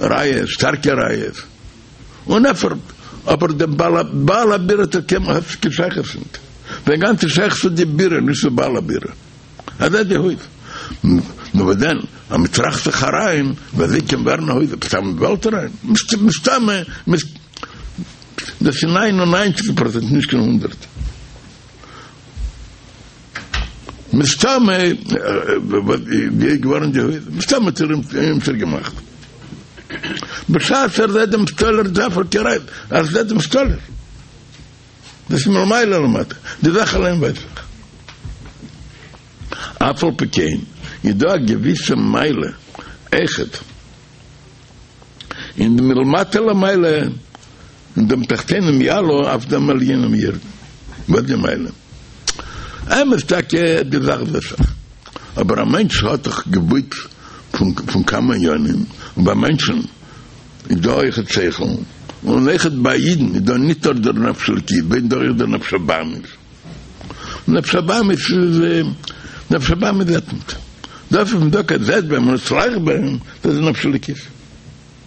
ראיות, שטארקע ראיות, און אפשר, אבער דער בעל הבירה האט קיין שייכות ניט. זיין גאנצע שייכות איז די בירה, נישט צו בעל הבירה. אזוי די הויז. נו וואס דען, אז מען טראכט זיך אריין, ווי אזוי קען ווערן א הויז עפעס אין וועלט אריין? מסתמא, דאס איז ניין און ניינציג פראצענט, נישט קיין הונדערט. מסתמא, ווי איז געווארן די הויז? מסתמא האט ער אים געמאכט. בשעת ער זעט דעם סטאלער דארף ער קיין ראיה, ער זעט דעם סטאלער. דאס איז מלמעלה למטה, די זאך אליין ווייס איך. אף על פי כן איז דא א געוויסע מעלה אויכעט אין די מלמטה למעלה, אין דעם תחתונים יעלו אויף דעם עליונים ירדו. וואס די מעלה? אמת טאקע די זאך זעט זיך, אבער א מענטש האט דאך געבויט פון כמה ענינים, און ביי מענטשן איז דא אויכעט שכל, און אויכעט ביי אידן איז דא ניט נאר דער נפש אלקית, ביי אידן דא אויך דער נפש הבהמית. נפש הבהמית איז, נפש הבהמית זעט ניט. דאס וואס מען זאגט אז זעט ביי אים און עס לייכט ביי אים, דאס איז נפש אלקית.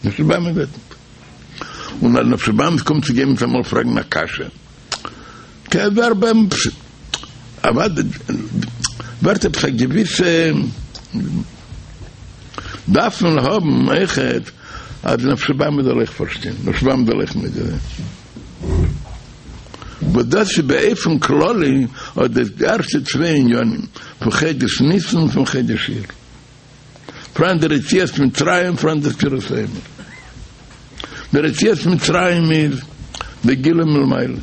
נפש הבהמית זעט ניט. און אז נפש הבהמית קומט צו גיין מיטאמאל פרעגן א קשיא, קען ווערט ביי אים, אוודאי ווערט עפעס א געוויסע. דארף מען האבן אויכעט אז נפש הבהמית זאל אויך פארשטיין, נפש הבהמית זאל אויך מודה זיין. וואס דאס איז באופן כללי אט די ערשטע צוויי עניינים פון חודש ניסן און פון חודש אייר. פאראן דער יציאת מצרים, פאראן דער ספירת העומר. דער יציאת מצרים איז די גילוי מלמעלה.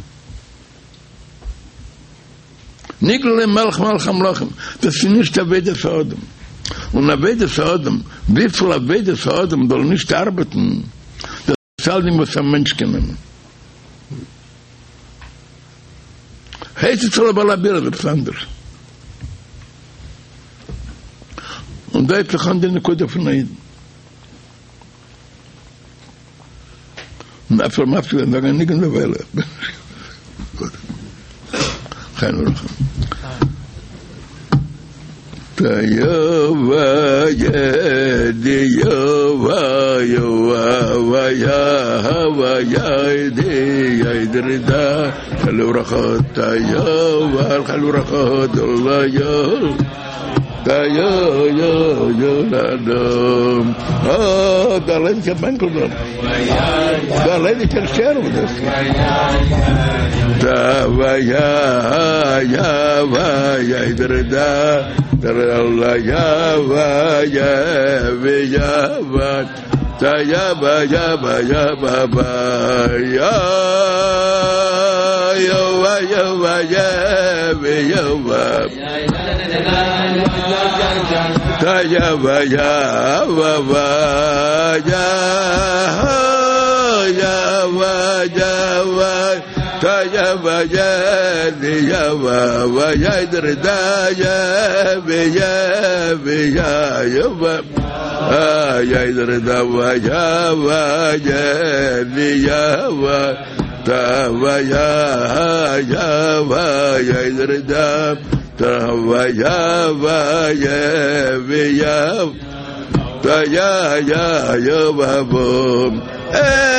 נגלה להם מלך מלכי המלכים, דאס איז נישט עבודת האדם, און עבודת האדם, וויפיל עבודת האדם זאל נישט ארבעטן, דאס איז אלדינג וואס א מענטש קען נעמען. הציץ עליו בעל הבירה איז עפעס אנדערש. און דא הייבט זיך אן די נקודה פון א אידן. און אפשר מפסיק זיין זאגן א ניגון דערווייל. חיים וברכה. תיובא ידי יובא יובא יהבה ידי ידרידה לברכה תיובא לברכה דולה יול אה, די ליידיגע בענקל דארט. די ליידיגע טשעיר דאס. דא יא יא יא דער דא דער יא יא יא יא דא יא יא יא יא יא יא יא טא יא ווא יא די יא ווא ווא יא דער דא יא ווי יא ווי יא יא ווא א יא דער דא ווא יא ווא יא די יא ווא טא ווא יא יא ווא יא דער דא טא ווא יא ווא יא ווי יא טא יא יא יא ווא ווא ער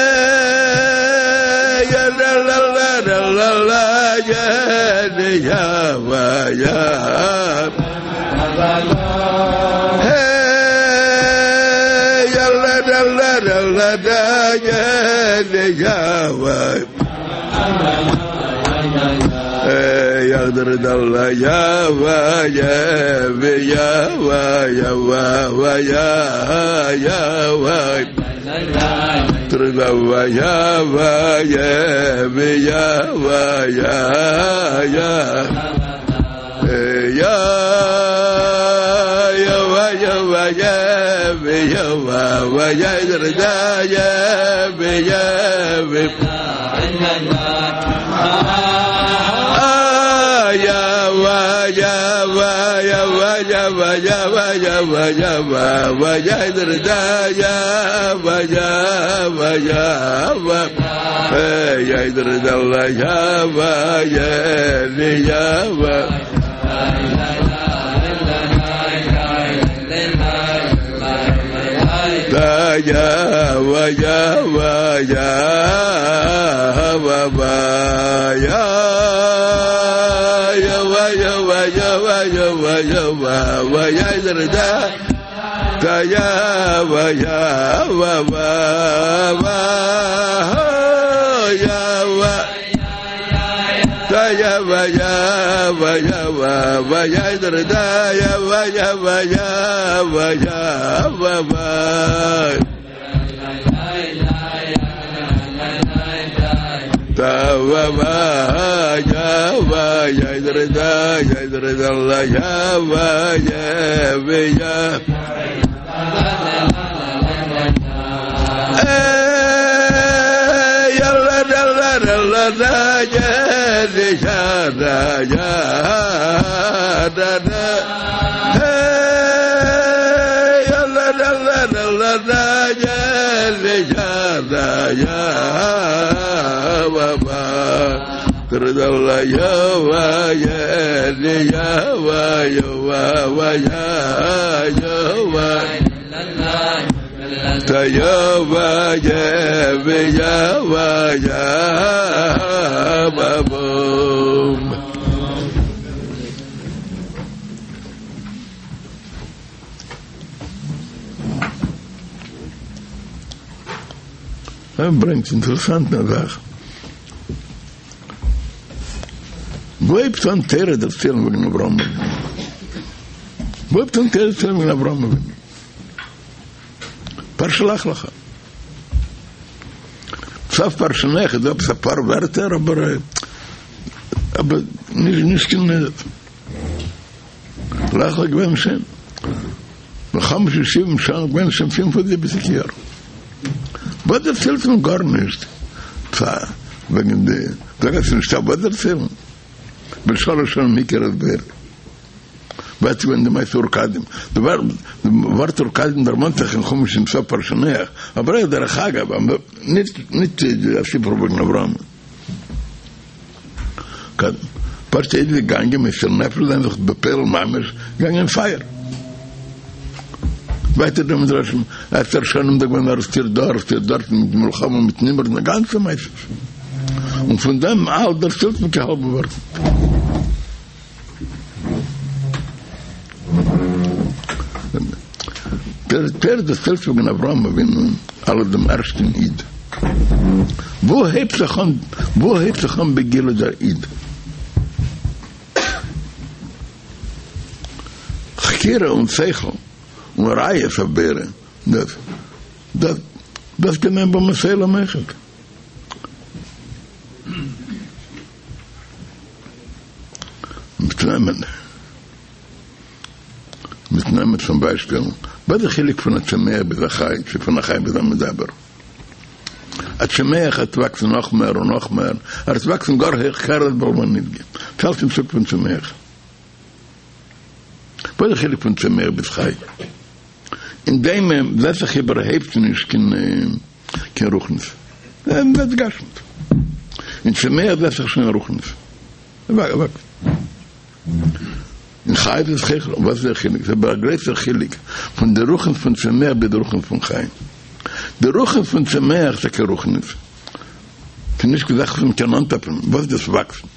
ברענגט אינטערעסאנטע זאך. וואו הייבט אן תורה דערציילן וועגן אברהם אבינו? וואו הייבט אן תורה דערציילן וועגן אברהם אבינו? פרשת לך לך. סוף פרשת נח איז דא עפעס אפאר ווערטער אבער אבער נישט נישט קיין לך לך געווען שוין בחמש ושבעים שנה געווען שוין פינף און זיבעציק יאר. וואס דערציילט מען גארנישט וועגן די זאג אז ס'נישטא וואס דערציילן. בן שלש שנים הכיר את בוראו. וואס איז געווען די מעשה אור כשדים. די ווארט אור כשדים דערמאנט זיך אין חומש אין סוף פרשת נח, אבער אויך דרך אגב, נישט נישט א סיפור וועגן אברהם. פשוט איז געגאנגען מוסר נפש זיין זיך בפועל ממש געגאנגען אין פייער. ווייטער די מדרשים עשר שנים דא געווען ארעסטירט דא ארעסטירט דארט מיט מלחמה מיט נמרוד די גאנצע מעשה. און פון דעם אלץ דערציילט מען קיין האלבע ווארט נישט. דער תורה דערציילט וועגן אברהם אבינו אלס דעם ערשטן איד. וואו הייבט זיך אן וואו הייבט זיך אן בגילוי דער איד? חקירה און שכל און ראיות אויף בורא, דאס דאס דאס קען מען באומות העולם אויכעט. מיט נעמען מיט נעמען צום ביישפיל, וואס איז די חילוק פון א צומח ביז א חי, צו פון א חי ביז א מדבר? א צומח וועט וואקסן נאך מער און נאך מער, ער וועט וואקסן גאר הויך העכער בעלמא נדגה, ס'אלץ אין סוג פון צומח. וואס איז די חילוק פון צומח ביז חי? אין דומם זעט זיך איבערהויפט נישט קיין רוחניות, זעט גשמיות. אין צומח זעט זיך שוין רוחניות. אין חי איז עס העכער, וואס איז דער חילוק? ס'איז אבער א גרויסער חילוק פון די רוחניות פון צומח ביז די רוחניות פון חי. די רוחניות פון צומח איז טאקע רוחניות, ס'איז נישט קיין זאך וואס מ'קען אנטאפן, וואס איז דאס וואקסן?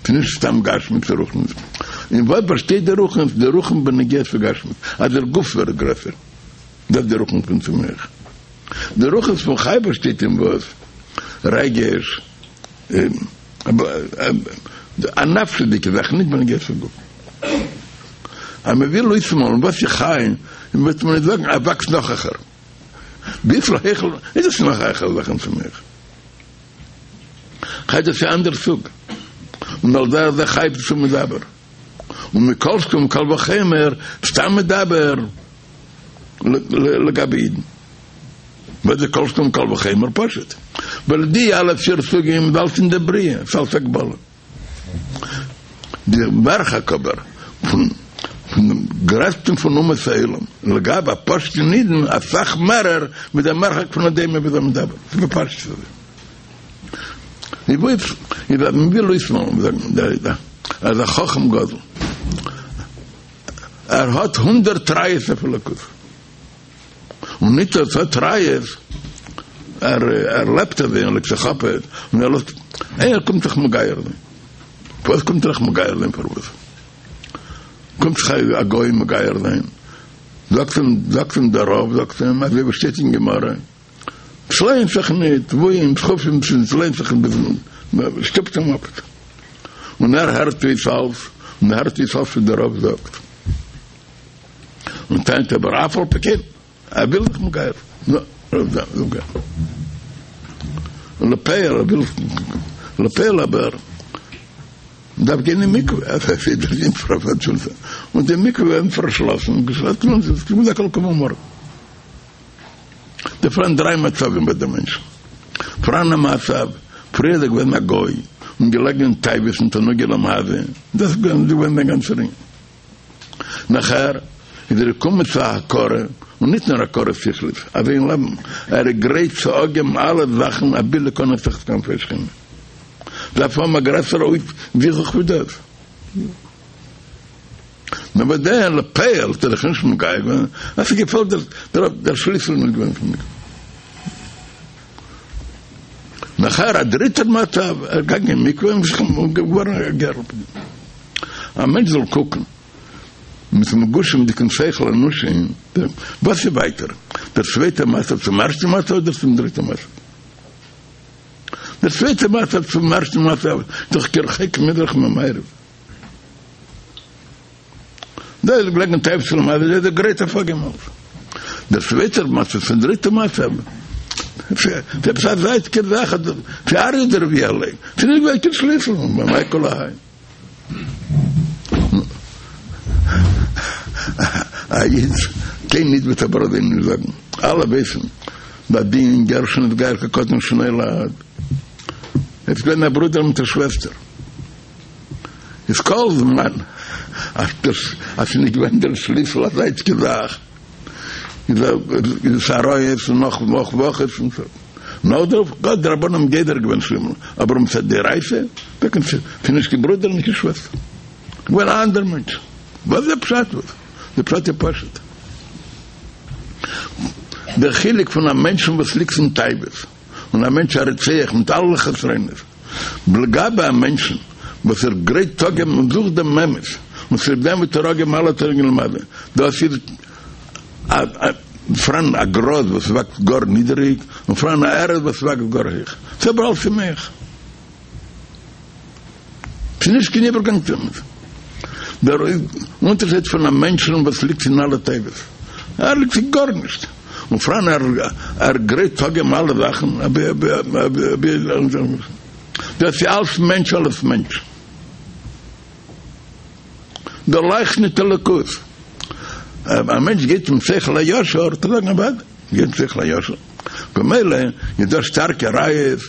ס'איז נישט סתם גשמיות, ס'איז רוחניות. אין וואס באשטייט די רוחניות? די רוחניות בנוגע צו גשמיות, אז דער גוף ווערט גרעסער, דאס איז די רוחניות פון צומח. די רוחניות פון חי באשטייט אין וואס? רגש, א נפשיות'דיגע זאך, נישט בנוגע צו גוף. אז מען וויל אויסמאלן וואס איז חי, וועט מען נישט זאגן אז וואקסט נאך העכער. וויפיל העכער איז עס נאך העכער זאכן צומח? חי דאס איז א אנדער סוג. און על דרך זה חי צו מדבר. און מכל שכן וקל וחומר סתם מדבר לגבי אידן. וואס איז כל שכן וקל וחומר? פשוט ווייל די אלע פיר סוגים איז אלץ אין די בריאה, ס'איז אלץ הגבלה. די מרחק אבער פון דעם גרעסטן פון אומות העולם לגבי א פשוט'ן אידן אסאך מערער ווי דער מרחק פון א דומם ביז א מדבר. ס'איז בפשטות אזוי. איז אז מ'וויל אויסמאלן זאגן אז א חכם גדול ער האט הונדערט ראיות אויף אלוקות. און ניט ער האט ראיות, ער ער לעבט אזוי און לעבט זיך אפעט, און ער לאזט, איינער קומט זיך מגייר זיין, פארוואס קומט ער זיך מגייר זיין פארוואס קומט זיך א גוי מגייר זיין, זאגט אים זאגט אים דער רב זאגט אים אזוי ווי שטייט אין גמרא, ס'לוינט זיך ניט, וואוהין, דחופים, ס'לוינט זיך ניט, שטופט אים אפ, און ער הערט אויס אלס, און ער הערט אויס אלס וואס דער רב זאגט. און טענה'ט אבער אף על פי כן ער וויל זיך מגייר זיין און לפועל ער וויל לפועל אבער מ'דארף גיין אין מקווה און די מקווה ווערן פארשלאסן דא פאראן דריי מצבים ביי די מענטשן פאראן א מצב פריער איז ער געווען א גוי און געלעגן אין תאוות און תענוגי עולם הזה דאס איז געווען זיין גאנצער ענין. נאכער איז ער געקומען צו א הכרה, און ניט נאר הכרה שכלית, אזוי אין לעבן, ער איז גרייט צו אפגעבן אלע זאכן אבי להיכנס תחת כנפי השכינה. דארף האבן א גרעסערע זיכוך ווי דאס. נאר ביי דעם לפועל האט ער זיך נישט מגייר געווען, אז ס'געפעלט דער שליסל איז נישט געווען פון מקווה. נאכער א דריטער מצב, ער איז געגאנגען אין מקווה און געווארן א גר. א מענטש זאל קוקן מיטן מגושם'דיגן שכל אנושי, וואס איז ווייטער, דער צווייטער מצב צום ערשטן מצב אדער צום דריטן מצב? דער צווייטער מצב צום ערשטן מצב איז דאך כרחוק מזרח ממערב. דא איז געלעגן תאוות עולם הזה, איז ער גרייט אפגעבן אלס. דער צווייטער מצב צום דריטן מצב, ס'איז עפעס א זייטיגע זאך, ס'איז ארעא דרביע אליין, ס'איז נישט געווען קיין שליסל, מאי כל האי. א איד קיין איד וועט אבער אזוי נישט זאגן, אלע ווייסן בדין גר שנתגייר כקטן שנולד, עס איז געווען א ברודער מיט א שוועסטער, איז כל זמן אז ס'איז נישט געווען דער שליסל א זייטיגע זאך, איז עס עריות און נאך נאך וואכעס און סאו. נאך דערויף גאט די רבנן האבן גוזר געווען שלימל, אבער מצד דאורייתא טאקע נישט, ס'איז נישט קיין ברודער נישט קיין שוועסטער, געווען א אנדער מענטש. וואס איז דער פשט וואס? דער פשט איז פשוט. דער חילוק פון א מענטשן וואס ליגט אין תאוות און א מענטש א רוצח מיט אלע חסרונות, לגבי א מענטשן וואס ער גרייט אפגעבן און זוכט דעם אמת, און צוליב דעם וועט ער אפגעבן אלע תענוגי עולם הזה, דאס איז פאראן א גראז וואס וואקסט גאר נידעריג, און פאראן א ערד וואס וואקסט גאר הויך. ס'איז אבער אלס צומח. ס'איז נישט קיין איבערגאנג צו אמת. דער אונטערשייד פון א מענטשן וואס ליגט אין אלע תאוות, ער ליגט אין גארנישט, און פאראן ער גרייט אפגעבן אלע זאכן, דאס איז אלס מענטש אלס מענטש. דא לייכט ניט אלוקות. א מענטש גייט מיט שכל הישר, וועט ער זאגן אוודאי, גייט מיט שכל הישר. במילא איז דא שטארקע ראיות,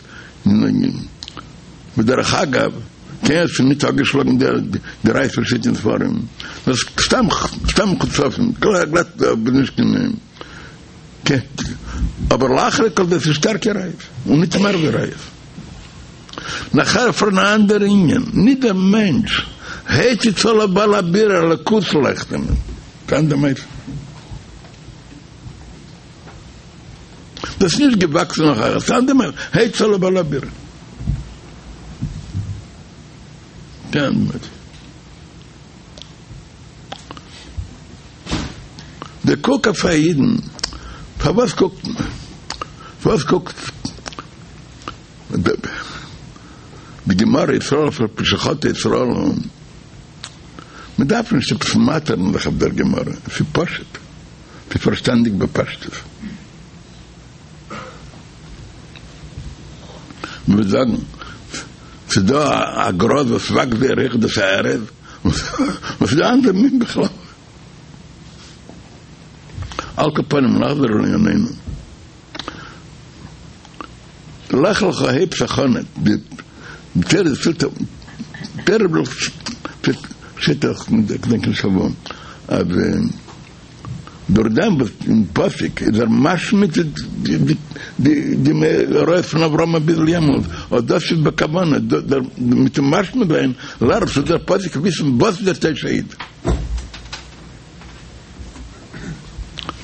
ודרך אגב, קיינער האט שוין ניט אפגעשלאגן די ראיות וואס שטייט אין ספרים, דאס סתם סתם מחוצפים, גלאט נישט קיין אבער לאחרי כל דאס איז שטארקע ראיות, און ניט מער ווי ראיות. נאכער פאראן אן אנדער ענין, ניט דער מענטש הציץ עליו בעל הבירה אלוקות לייכט אים, קיין דעם אופן. דאס איז נישט געוואקסן נאך א סתם דעם הציץ עליו בעל הבירה. קיין דעם אופן. דער קוק אויף א אידן, פארוואס קוקט מען? פארוואס קוקט די גמרא ישראל אף על פי שחטא ישראל הוא? מען דארף נישט עפעס מאטערן זיך אויף דער גמרא, עס איז פשוט, עס איז פארשטאנדיג בפשטות. מען וועט זאגן, ס'איז דא א גראז וואס וואקסט זייער הויך דאס איז א ארז, און ס'איז דא אנדערע מין בכלל. על כל פנים נחזור לענינינו. לך לך הייבט זיך אן די תורה פילט תורה שטייט דאך כ'דענק נישט וואו אז דורך דעם וואס אין פסוק איז ער משמיט די די מאורעות פון אברהם ביז יעמאלט, אט דאס איז בכוונה, מיטן משמיט זיין לערנט דער פסוק וויסן וואס איז דער טייטש א איד.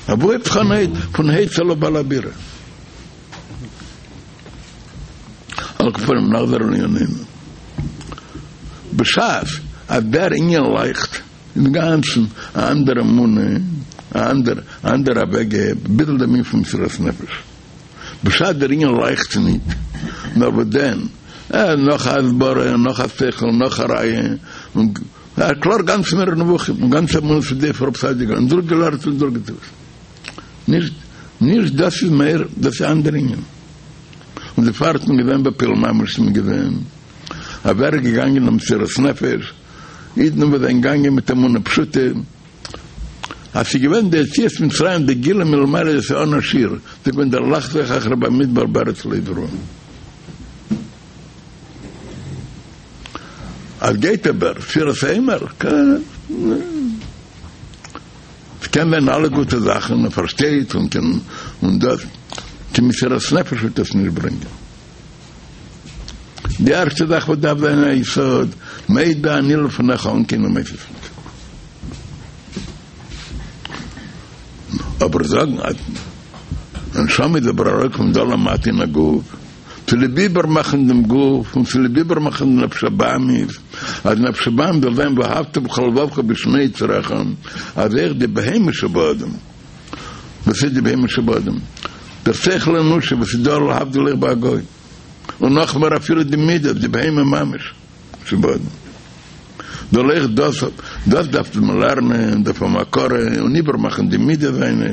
אוואו הייבט זיך אן פון הציץ עליו בעל הבירה. על כל פנים נחזור לענינינו. בשעת אז דער ענין לייכט אינגאנצן א אנדערע אמונה, א אנדער א אנדערע אוועקגעב, ביטול דעם ענין פון מסירת נפש. בשעת דער ענין לייכט ניט, נאר וואס דען, אה, נאך א הסברה, נאך א שכל, נאך א ראיה, און א קלאר גאנץ מורה נבוכים, און גאנץ אמונה פון די פאר רב סעדיה גאון, און דורכגעלערנט און דורכגעטון. נישט נישט דאס איז מער, דאס איז אנדער ענין. און דערפאר האט מען געזען בפועל ממש איז מען געזען אז ווער איז געגאנגען אין מסירת נפש, אידן וואס זענען געגאנגען מיט אמונה פשוטה, אז ס'איז געווען די יציאת מצרים די גילוי מלמעלה דאס איז אן א שיעור, ס'איז געווען דער לחזור אחרי במדבר בארץ לא זרועה. אז גייט אבער ספירת העומר, ס'קען זיין אלע גוטע זאכן, מען פארשטייט און קען און דאס, קיין מסירת נפש וועט עס נישט ברענגען. די ערשטע זאך וואס דארף זיין א יסוד, מודה אני לפניך אן קיינע מוסיפות. אבער זאגן אז נשמה איז אבער אראפ פון דא למטה אין א גוף, צוליב איבערמאכן דעם גוף און צוליב איבערמאכן די נפש הבהמית, אז נפש הבהמית זאל זיין ואהבת בכל לבבך בשני יצריך, אז אויך די בהמה שבאדם, וואס איז די בהמה שבאדם? דער שכל האנושי וואס איז דא להבדיל אויך ביי א גוי, און נאכמער אפילו די מידות, די בהמה ממש שבאדם. זאל אויך דאס, דאס דארף מען לערנען, דארף האבן הכרה און איבערמאכן די מידות זיינע.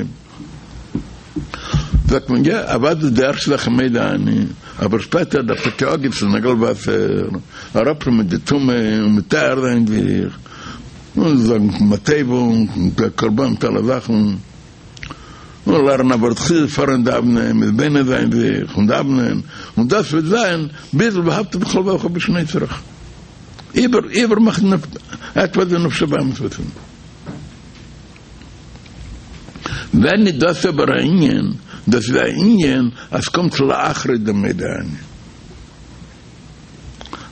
זאגט מען יא, אוודאי די ערשטע זאך איז מודה אני, אבער שפעטער דארף טאקע אפגיסן נעגל וואסער, אראפנעמען די טומאה און מטהר זיין זיך, און זאגן מה טובו און קרבנות מיט אלע זאכן, און לערנען א ווארט חסידות פארן דאוונען, מתבונן זיין זיך און דאוונען, און דאס וועט זיין ביז ואהבת בכל לבבך בשני יצריך. איבער איבערמאכן עטוואס די נפש הבהמית וועט זיין. ווען איז דאס אבער א ענין? דאס איז א ענין אז ס'קומט לאחרי דעם מודה אני.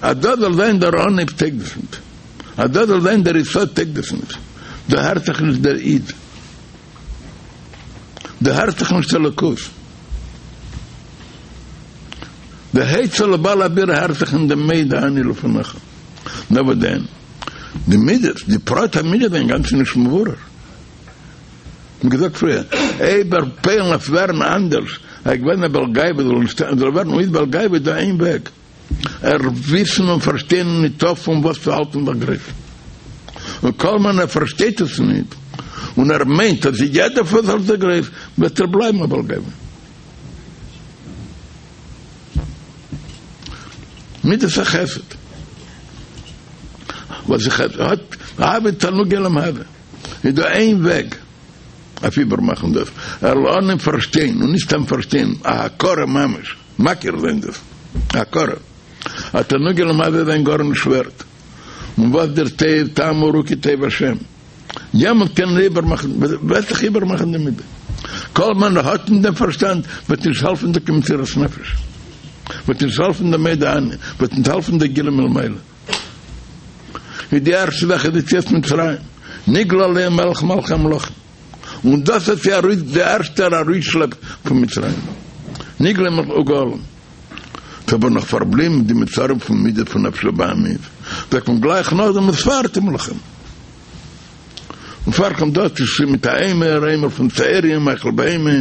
אז דאס זאל זיין דער אנהייב טויג דאס ניט. אז דאס זאל זיין דער יסוד טויג דאס ניט. דא הערט זיך נישט דער איד. דא הערט זיך נישט אלוקות. דער הציץ עליו בעל הבירה הערט זיך אין דעם מודה אני לפניך. נאר וואס דען? די מידות, די פרט המידות זענען אינגאנצן נישט מבורר. ווי געזאגט פריער, אויב ער פועל'ן אויף ווערן אנדערש, ער איז געווען א בעל גאווה, זאל נישט זאל ווערן אויס בעל גאווה איז דא איין וועג, ער וויסן און פארשטיין ניטא פון וואס צו האלטן זיך גרויס. און כל זמן ער פארשטייט עס ניט, און ער מיינט אז יעדער פון וואס האלט זיך גרויס, וועט ער בלייבן א בעל גאווה. מידת החסד. וואס איך האט אהבה תענוג עולם הזה. איז דא איין וועג. אויף איבערמאכן דאס, ער זאל אנהייבן פארשטיין, און נישט סתם פארשטיין, א הכרה ממש, מכיר זיין דאס, א הכרה, אז תענוגי עולם הזה זענען גארנישט ווערט, און וואס דער טוב טעמו וראו כי טוב השם, יעמאלט קען ער איבערמאכן, וועט זיך איבערמאכן די מידה. כל זמן ער האט נישט דעם פארשטאנד, וועט נישט העלפן די מסירת נפש, וועט נישט העלפן די מודה אני, וועט נישט העלפן די גילוי מלמעלה. איז די ערשטע זאך איז יציאת מצרים, נגלה עליהם מלך מלכי המלכים, און דאס האט זיי ארויס די ערשטע ארויסשלעפ פון מצרים, נגלה מלך וגאלם. ס'איז אבער נאך פארבליבן די מצרים פון מידה פון נפש הבהמית, זאגט מען גלייך נאכדעם וספרתם לכם. און פאר קומט דאס צו מיט א עומר, עומר פון שעורים, מאכל בהמה,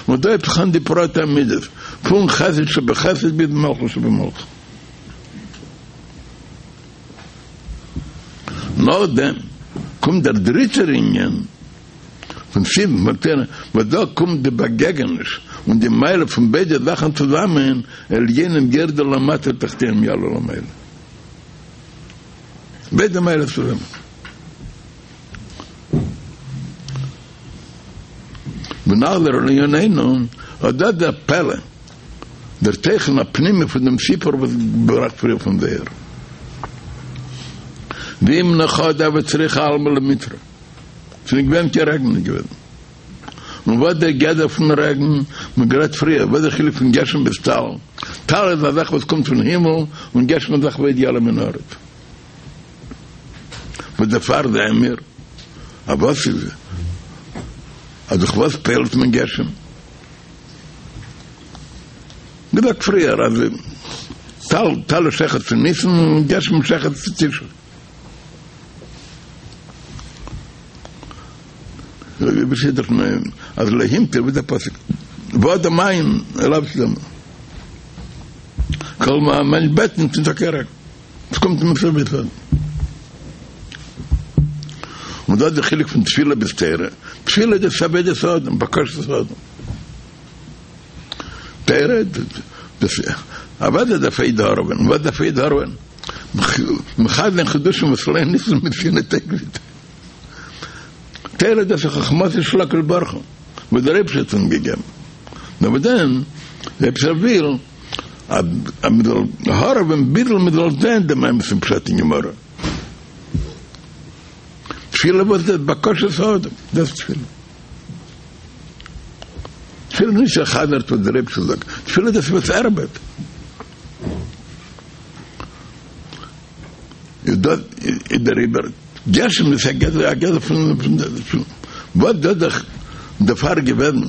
און דא הייבט זיך אן די פרטי המידות, פון חסד שבחסד ביז מלכות שבמלכות. נאכדעם קומט דער דריטער ענין פון סיון פון תורה, וואס דא קומט די באגעגעניש און די מעלה פון ביידע זאכן צוזאמען, עליונים ירדו למטה תחתונים יעלו למעלה. ביידע מעלות צוזאמען. ונחזור לענייננו, אט דאס דער פלא, דער תוכן הפנימי פון דעם סיפור וואס געבראכט פריער פון זוהר. זימנא חדא הוה צריכא עלמא למיטרא. ס'איז נישט געווען קיין רעגן נישט געווען. און וואס דער גדר פון רעגן, מ'האט גערעדט פריער, וואס דער חילוק פון גשם ביז טל. טל איז א זאך וואס קומט פון הימל, און גשם איז א זאך וואס יעלה מן הארץ. וואס דערפאר זעען מיר אז וואס איז אז דורך וואס פועל'ט מען גשם? געזאגט פריער אז טל טל איז שייך צו ניסן און גשם איז שייך צו תשרי. ווי שטייט דאך אז לא המטיר ווי דער פסוק ואדם אין אליו שלמה כל מה מענטש בעט נישט נישטא קיין רעגן. עס קומט אים אפשר בעסער. און דאס איז די חילוק פון תפילה ביז תורה, תפילה איז דאס עבודת האדם, בקשת האדם. תורה דאס אוודאי דארף א איד הארעווען, וואס דארף א איד הארעווען? מחדש זיין חידושים וואס לא ניתנו מסיני תורה. תורה דאס איז חכמתו של הקדוש ברוך הוא, וואס דער אייבערשטער האט אונז געגעבן. נאר וואס דען, דער אייבערשטער וויל אז מען זאל הארעווען ביזל מען זאל זען דעם אמת'ן פשט אין גמרא. תפילה וואס איז בקשת האדם, דאס איז תפילה. תפילה איז נישט ער חזר'ט וואס דער אייבערשטער זאגט, תפילה דאס איז וואס ער בעט. איז דאס איז דעריבער גשם איז א גדר א גדר פון פון וואס דאס דאך דערפאר געווען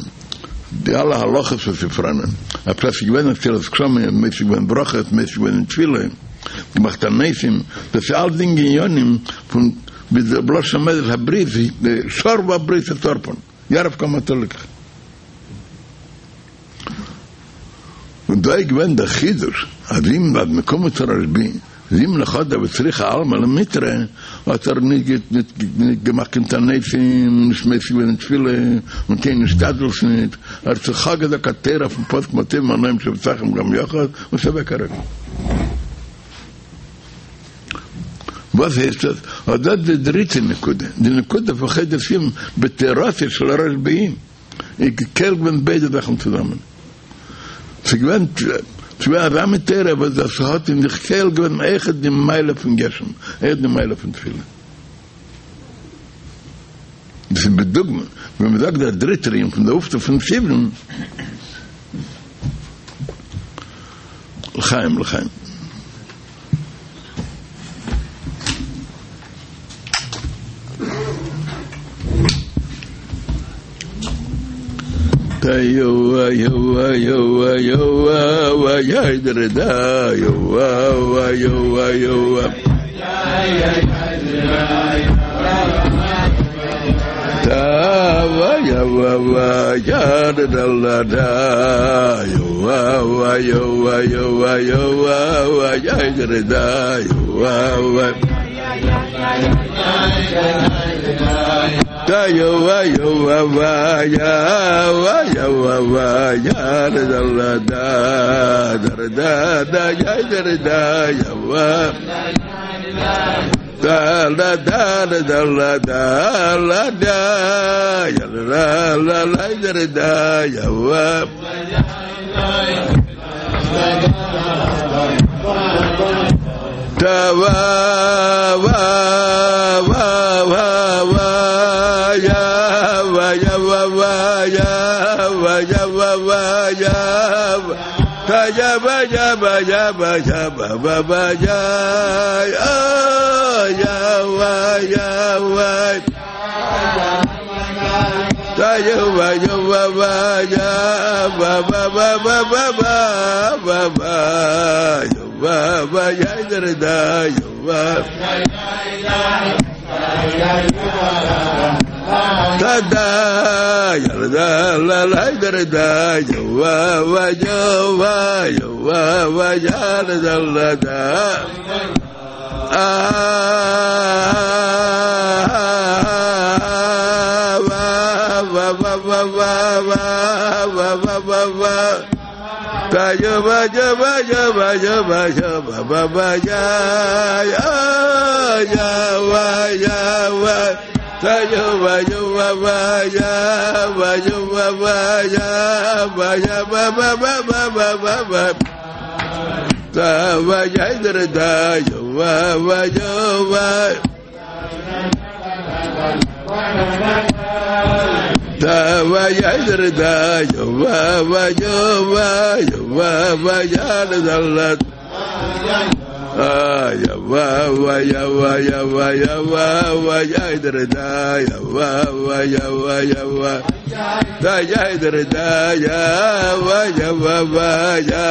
די אלע הלכות וואס איז פאראנען אז ס'איז געווען עצירת גשמים מפסיק געווען ברכות מפסיק געווען אין תפילה געמאכט תעניתים דאס איז אלסדינג עניינים פון ווי דער בלשון המדרש הברית שרבו הבריות את ערפן ירף כמה תלקח און דא איז געווען דער חידוש אז אם אז מ'קומט צו רשב"י זימנא חדא הוה צריכא עלמא למיטרא האט ער נישט געמאכט קיין תעניתים נישט מפסיק געווען אין תפילה און קיין השתדלות נישט, ער האט זיך געזאגט א תורה אויפן פסוק מה טובו מחניים שבתיכם גם יחד און ס'איז אוועק א רעגן. וואס הייסט דאס? אט דאס די דריטע נקודה, די נקודה פון חודש סיון בתורתו של רשב"י. איז כולל געווען ביידע זאכן צוזאמען. ס'איז געווען ס'איז געווען אזא מין תורה וואס דאס האט אין זיך כולל געווען אויכעט די מעלה פון גשם, אויכעט די מעלה פון תפילה. דאס איז בדוגמא ווען מ'זאגט דער דריטער ענין פון די אויפטו פון סיון. לחיים לחיים. דא לא דא לא דא לא דא לא דא יא לא לא לא דא דא יא ווא טא ווא ווא ווא ווא ווא יא ווא יא ווא ווא יא ווא יא ווא ווא יא ווא טא יא ווא יא ווא יא ווא יא ווא ווא ווא יא אה יא ווא יא ווא טא יא ווא יא ווא ווא יא ווא ווא ווא ווא ווא ווא ווא ווא יא ווא ווא יא דער דא יא ווא טא דא יא דא לא לא דער דא יא ווא ווא יא ווא יא ווא ווא יא דא לא דא אה ווא ווא ווא ווא ווא ווא ווא ווא ווא טא יא ווא יא ווא יא ווא יא ווא יא ווא ווא ווא יא יא יא ווא יא ווא טא יא ווא יא ווא ווא יא ווא יא ווא ווא יא ווא יא ווא ווא ווא ווא ווא ווא ווא טא ווא יא דער דא יא ווא ווא יא ווא טא ווא יא דער דא יא ווא ווא יא ווא יא ווא ווא יא דא לא אה יא ווא ווא יא ווא יא ווא יא ווא ווא יא דער דא יא ווא ווא יא ווא יא ווא דא יא דער דא יא ווא יא ווא ווא יא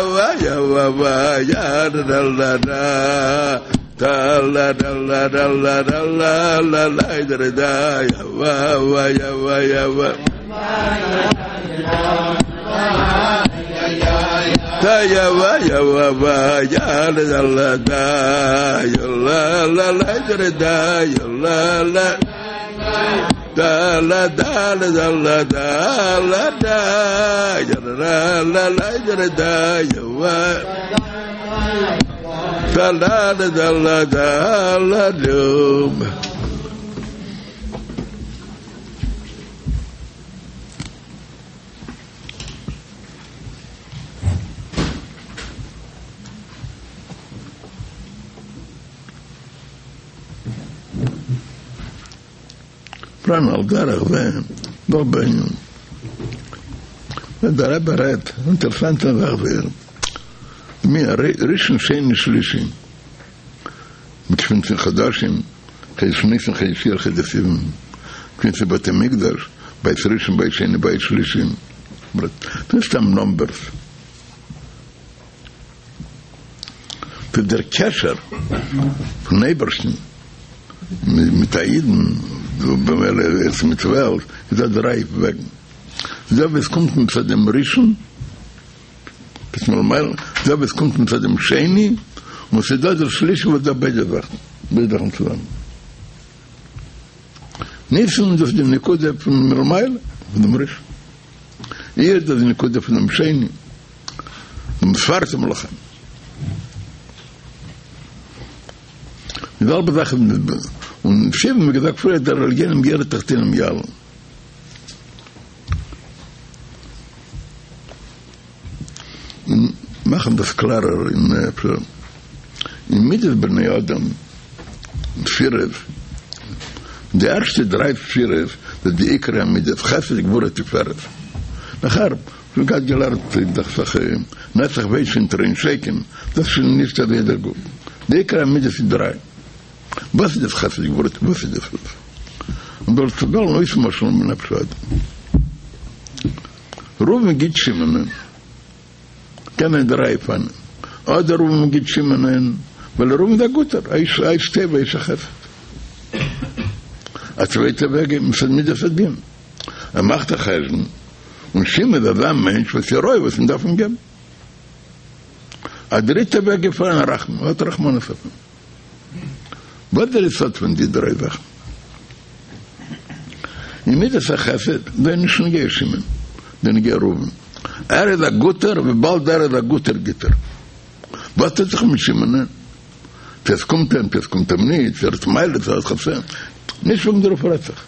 ווא יא ווא ווא יא דא לא דא טא לא דא לא דא לא דא לא לא לא דער דא יא ווא ווא יא ווא יא ווא טא יא ווא יא ווא ווא יא דא לא דא יא לא לא לא דער דא יא לא לא דא לא דא לא לא דא לא דא יא לא לא לא דער דא יא ווא טא לא דא לא דא לא דא פראן על דרך זה, נאך בענין. ווען דער רבי רעדט, אינטערעסאנטע זאך זייער, מי ראשון שני שלישי, געפינט זיך חדשים, חודש ניסן חודש אייר חודש סיוון, געפינט זיך בתי מקדש, בית ראשון בית שני בית שלישי, ס'נישט סתם נומבערס. ס'איז דער קשר פון אייבערשטן מיט א אידן, במילא איז מיט וועלט, איז דא דריי וועגן. דא ווי עס קומט מצד דעם ראשון, דא ווי עס קומט מצד דעם שני, און ס'איז דא דער שלישי וואס דא ביידע זאכן, ביידע זאכן צוזאמען. ניסן דאס איז די נקודה פון מלמעלה, פון דעם ראשון. אייר דאס איז די נקודה פון דעם שני, דעם וספרתם לכם. די זעלבע זאך איז און סיון ווי געזאגט פריער דער עליונים ירדו תחתונים יעלו. און מאכן דאס קלארער אין אפשר אין מידות בני אדם ספירות, די ערשטע דריי ספירות איז די עיקרי המידות, חסד גבורה תפארת. נאכער מ'האט געהאט געלערנט דאכט זיך נצח הוד שין תרין שכם, דאס איז שוין נישט אזוי דער גוף. די עיקרי המידות איז דריי. וואס איז דאס חסד גבורה וואס איז דאס וואס? און דארט צו וועלן אויסמשל'ן בנפש האדם. ראובן גיט שמעונ'ען קען זיין דריי אופנים, אדער ראובן גיט שמעונ'ען ווייל ראובן איז א גוטער, א איש א איש טוב א איש החסד. א צווייטע וועג איז מצד מידת הדין, ער מאכט א חשבון און שמעון איז אזא מענטש וואס איז ראוי וואס מען דארף אים געבן. א דריטע וועג איז פארהאן רחמים, ער האט רחמנות אויף אים. וואס דער יסוד פון די דריי זאכן? אין מידת החסד איז נישט נוגע שמעון, ס'איז נוגע ראובן. ער איז א גוטער, וויבאלד ער איז א גוטער גיט ער. וואס טוט זיך מיט שמעונ'ען? צו עס קומט אים, צו עס קומט אים נישט, צו ער האט מעלות, צו ער האט חסרונות, נישט וועגן דערויף רעדט זיך.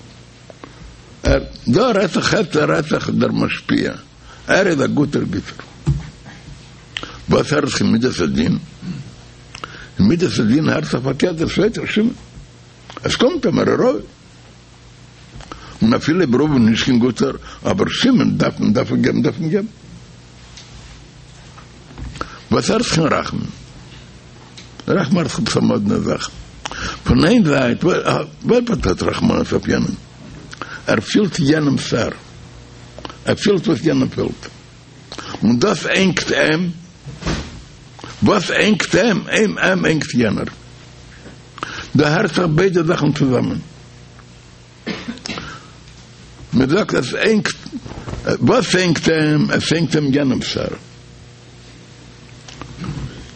ער, דא רעדט זיך, עס רעדט זיך דער משפיע, ער איז א גוטער גיטער. וואס הערט זיך אין מידת הדין? אין מידת הדין הערט זיך פארקערט דער צווייטער שמעון. עס קומט אים, ער איז ראוי. און אפילו אויב ראובן איז נישט קיין גוטער, אבער שמעון דארף מען דארף מען געבן דארף מען געבן. וואס הערט זיך אין רחמים? רחמים הערט זיך עפעס א מאדנע זאך. פון איין זייט, ווער האט רחמנות אויף יענעם? ער פילט יענעמ'ס צער. ער פילט וואס יענער פילט. און דאס ענגט אים. וואס ענגט אים? אים אים ענגט יענער. דא הערט זיך ביידע זאכן צוזאמען. מען זאגט עס ענגט, וואס ענגט אים? עס ענגט אים יענעמ'ס צער.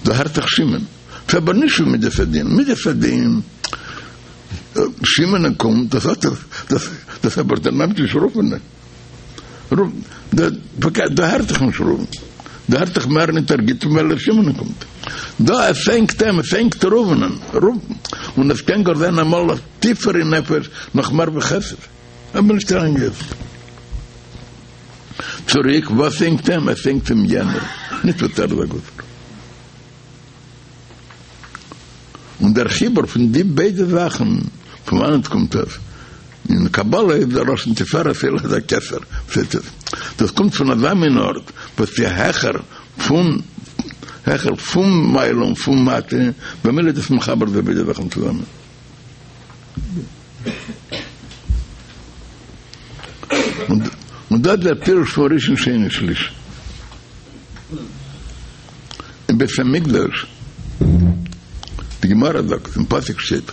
דא הערט זיך שמעון. ס'איז אבער נישט ווי מידת הדין. מידת הדין, שמעון קומט, דאס האט דאס, דאס אבער דער נעמט נישט ראובן'ען. דא הערט זיך נישט ראובן, דא הערט זיך מער ניט ער גיט ווייל שמעון קומט. דא עס ענגט אים, עס ענגט ראובנ'ען, און עס קען גאר זיין אמאל טיפער אין נפש נאך מער ווי חסד. אבער נישט אריין יעצט. צוריק, וואס ענגט אים? עס ענגט אים יענער, נישט וואס ער איז א גוטער. און דער חיבור פון די ביידע זאכן, פון וואנעט קומט עס? אין קבלה איז דער לשון תפארת עולה עד הכתר, פארשטייט זיך דאס קומט פון אזא מין ארט וואס איז העכער פון העכער פון מעלה און פון מטה, במילא איז דאס מחבר די ביידע זאכן צוזאמען. און דאס איז דער פירוש פון ראשון שני שלישי. אין בית המקדש, די גמרא זאגט, אין פסוק שטייט,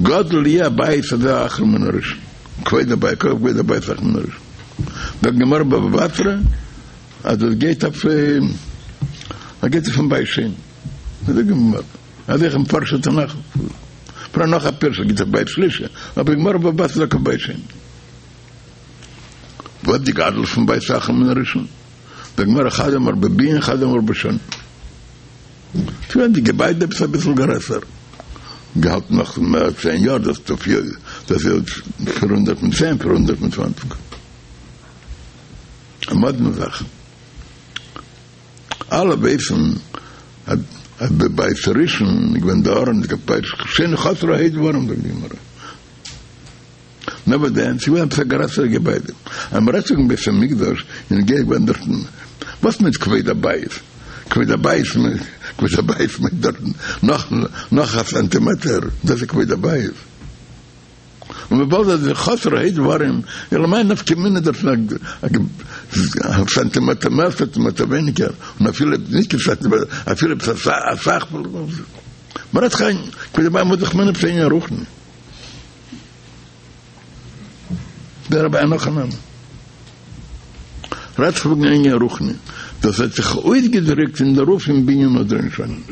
גדול יהיה הבית הזה האחרון מן הראשון, כבוד הבית, כבוד הבית האחרון מן הראשון. זאגט די גמרא בבא בתרא, אז דאס גייט אויף, עס גייט אויפן בית שני. אזוי די גמרא, אזוי אויך מפרשי תנך, פאראן נאך א פירוש, עס גייט אויף בית שלישי, אבער די גמרא בבא בתרא זאגט אויף בית שני. וואס די גדלות פון בית אחרון מן הראשון? די גמרא חד אמר בבנין חד אמר בשנים. ס'געווען די געביידע עפעס אביסל גרעסער, געהאלטן נאך מער צען יאר, דאס דאס איז 410 420. א מאדנע זאך. אלע ווייסן אז בבית ראשון איז געווען די ארון, בית שני חסרו ה' דברים זאגט די גמרא. נאר וואס דען, ס'איז געווען עפעס א גרעסערע געביידע. אז מ'רעדט וועגן בית המקדש, איז געווען דארטן, וואס מיינט כבוד הבית? כבוד הבית מיינט, כבוד הבית מיינט דארטן נאך נאך א סענטימעטער, דאס איז כבוד הבית. און וויבאלד אז ס'איז חסרו ה' דברים, אלא מאי נפקא מינה דארטן א סענטימעטער מער סענטימעטער ווייניגער, און אפילו נישט קיין סענטימעטער, אפילו עפעס אסאך, מ'רעדט זיך איין, כבוד הבית מוז דאך מיינען עפעס ענין רוחני. דער רבי אין הכי נמי רעדט זיך וועגן ענין רוחני, דאס האט זיך אויסגעדריקט אין דערויף אין בנין אדער אין שנים.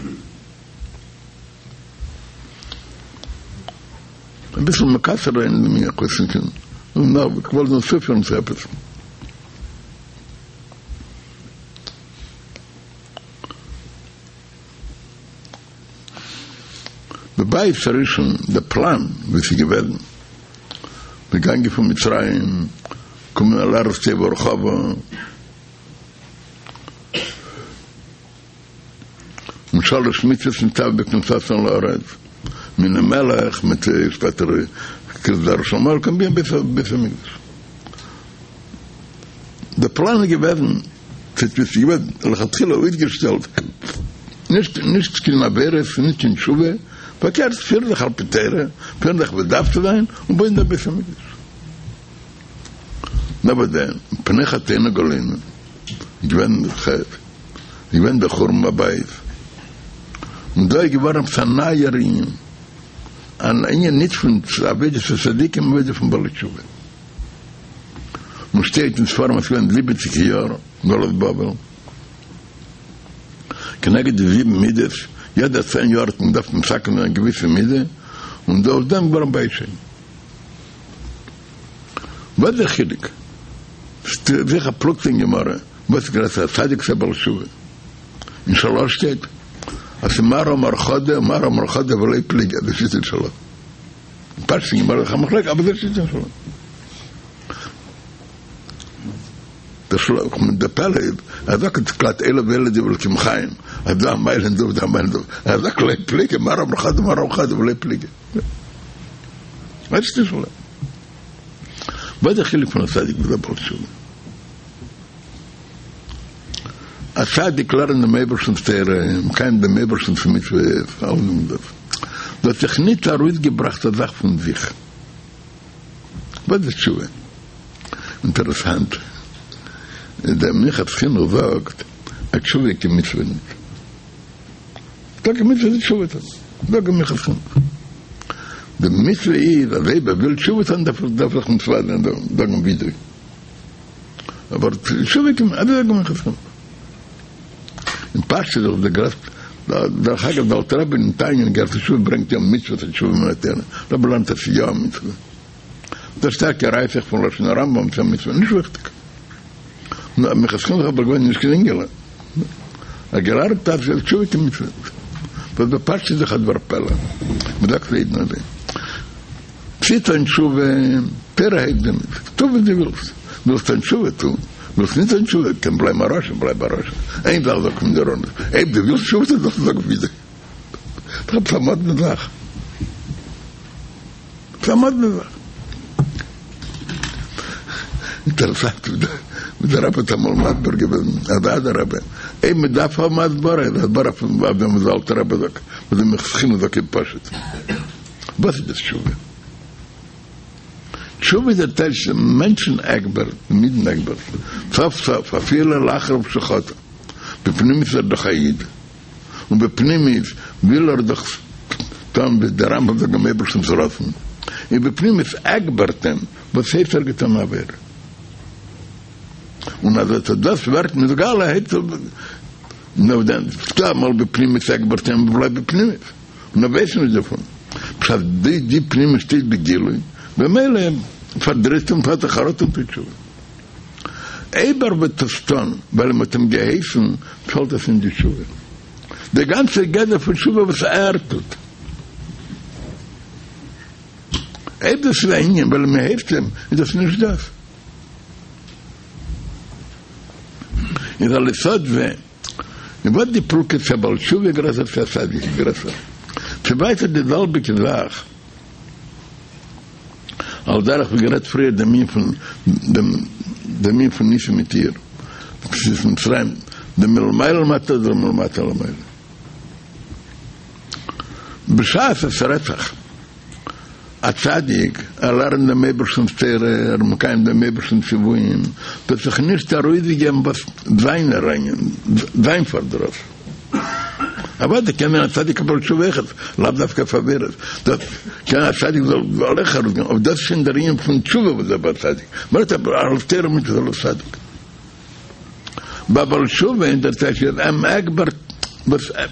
אביסל מקצר זיין אין דעם ענין, נאר כ'וואלט נאר צופירן צו עפעס. בבית הראשון, די פלאן ווי ס'איז געוועזן, מ'איז געגאנגען פון מצרים, קומען אל ארץ טובה ורחבה, און שלש מצוות נצטוו בכניסתן לארץ, מינוי מלך, מיט שפעטער כריתת זרע של עמלק, און בית המקדש. די פלאן איז געוועזן, ס'איז געווען לכתחילה אויסגעשטעלט, נישט נישט קיין עבירות, נישט קיין תשובה, פארקערט פירן זיך על פי תורה, פירן זיך ווי עס דארף צו זיין, און בויען דעם בית המקדש. נאר וואס דען, מפני חטאינו גלינו, איז געווען חטא, איז געווען דער חורבן הבית, און דא איז געווארן עפעס א נייער ענין, אן ענין נישט פון עבודת הצדיקים, עבודה פון בעלי תשובה. און שטייט אין ספרים אז ס'געווען זיבעציג יאר גלות בבל, כנגד די זיבן מידות, יעדע צען יאר האט מען געדארפט מתקן זיין א געוויסע מידה, און דורך דעם געווארן בית שני. וואס איז דער חילוק? ס'איז א פלוגתא אין גמרא, וואס איז גרעסער א צדיק צו א בעל תשובה? אין של"ה שטייט. אז ס'מר אמר חדא ומר אמר חדא ולא פליגי, דאס איז אין שלא. פשט אין גמרא איז א מחלוקת אבער דאס איז אין שלא. דער שלא מיט דער פלא איז ער זאגט גלאט אלו ואלו דברי אלקים חיים אז דא א מעלה אין דא און דא א מעלה אין דא ער זאגט לא פליגי מר אמר חדא ומר אמר חדא ולא פליגי. ווייסט נישט וואס איז דער חילוק פון א צדיק ביז א בעל תשובה? א צדיק לערנט דעם אייבערשטנ'ס תורה, מקיים דעם אייבערשטנ'ס מצוות, אלעס דאס. דא האט זיך ניט ארויסגעבראכט א זאך פון זיך. וואס איז תשובה? אינטערעסאנט, דער מנחת חינוך זאגט אז תשובה איז קיין מצוה ניט. טאקע מצוה איז תשובה טון, זאגט דער מנחת חינוך. די מצוה איז אז אויב ער וויל תשובה טון דארף ער זיך מתוודה זיין, זאגן וידוי. אבער תשובה קען מען, אזוי זאגט דער מנחת חינוך. אין פשטות איז דאך דער גרעסטע, דרך אגב דער אלטער רבי אין תניא אין אגרת התשובה ברענגט יא מצוות התשובה מן התורה, רבי לערנט אז ס'איז יא א מצוה. דאס שטארקע ראיה זיך פון לשון הרמב"ם צו א מצוה, נישט וויכטיג. נאר מנחת חינוך אבער געווען נישט קיין אינגעלע. ער געלערנט אז תשובה קיין מצוה נישט. וואס בפשטות איז דאך א דבר פלא. מ'זאגט פאר אידן אזוי. צו טון תשובה, תורה הייסט דיר נישט. טו וואס דו ווילסט. ווילסט טון תשובה, טו. ווילסט נישט טון תשובה, קען בלייבן א רשע, בלייב א רשע. איין זאך זאגט מען דיר אן, אויב דו ווילסט תשובה טון זאלסטו זאגן וידוי. ס'איז עפעס א מאדנע זאך. ס'איז א מאדנע זאך. אינטערעסאנט ווי דער רבי האט אמאל מסביר געווען אז אדרבה, אויב מען דארף האבן הסברה איז הסברה פון אויף דעם וואס דער אלטער רבי זאגט, וואס דער מנחת חינוך זאגט איז פשוט. וואס איז דאס תשובה? תשובה איז דער טייטש דעם מענטשן עגבערט, דעם אידן עגבערט, סוף סוף אפילו לאחר שחטא, בפנימיות איז ער דאך א איד, און בפנימיות וויל ער דאך טון ווי דער רמב"ם זאגט דעם אייבערשטנ'ס רצון, און בפנימיות עגבערט אים וואס הייסט ער געטון א עבירה, און אז אט דאס ווערט נתגלה הייבט זיך נאר דען ס'דא אמאל בפנימיות עגבערט אים בלייבט בפנימיות און ער ווייסט נישט דערפון, בשעת די די פנימיות שטייט בגילוי במילא פארדריסט אים האט ער חרטה און טוט תשובה. אויב ער וועט עס טון ווייל מען האט אים געהייסן, פעלט עס אין די תשובה. די גאנצע גדר פון תשובה וואס ער טוט. אויב דאס איז א ענין ווייל מען הייסט אים, איז דאס נישט דאס. איז על יסוד זה, און וואס די פלוגתא צו א בעל תשובה גרעסער צו א צדיק גרעסער. ס'איז ווייטער די זעלביגע זאך. על דרך ווי גערעדט פריער דעם ענין פון דעם דעם ענין פון ניסים מיט איור יציאת מצרים דעם מלמעלה למטה אדער מלמטה למעלה בשעת עס רעדט זיך א צדיק ער לערנט דעם אייבערשטנ'ס תורה ער מקיים דעם אייבערשטנ'ס ציוויים וועט זיך נישט ארויסגעגעבן וואס זיינער ענין זיין פארדרוס. אוודאי קען זיין א צדיק א בעל תשובה אויכעט, לאו דווקא אויף עבירות, דאס קען א צדיק זאל אויך ארויסגיין, אבער דאס איז שוין דער ענין פון תשובה וואס דער בעל צדיק, מען רעדט אבער על תורה ומצוות אלס צדיק. ביי בעל תשובה אין דער טייטש איז אים עגבערט וואס וועט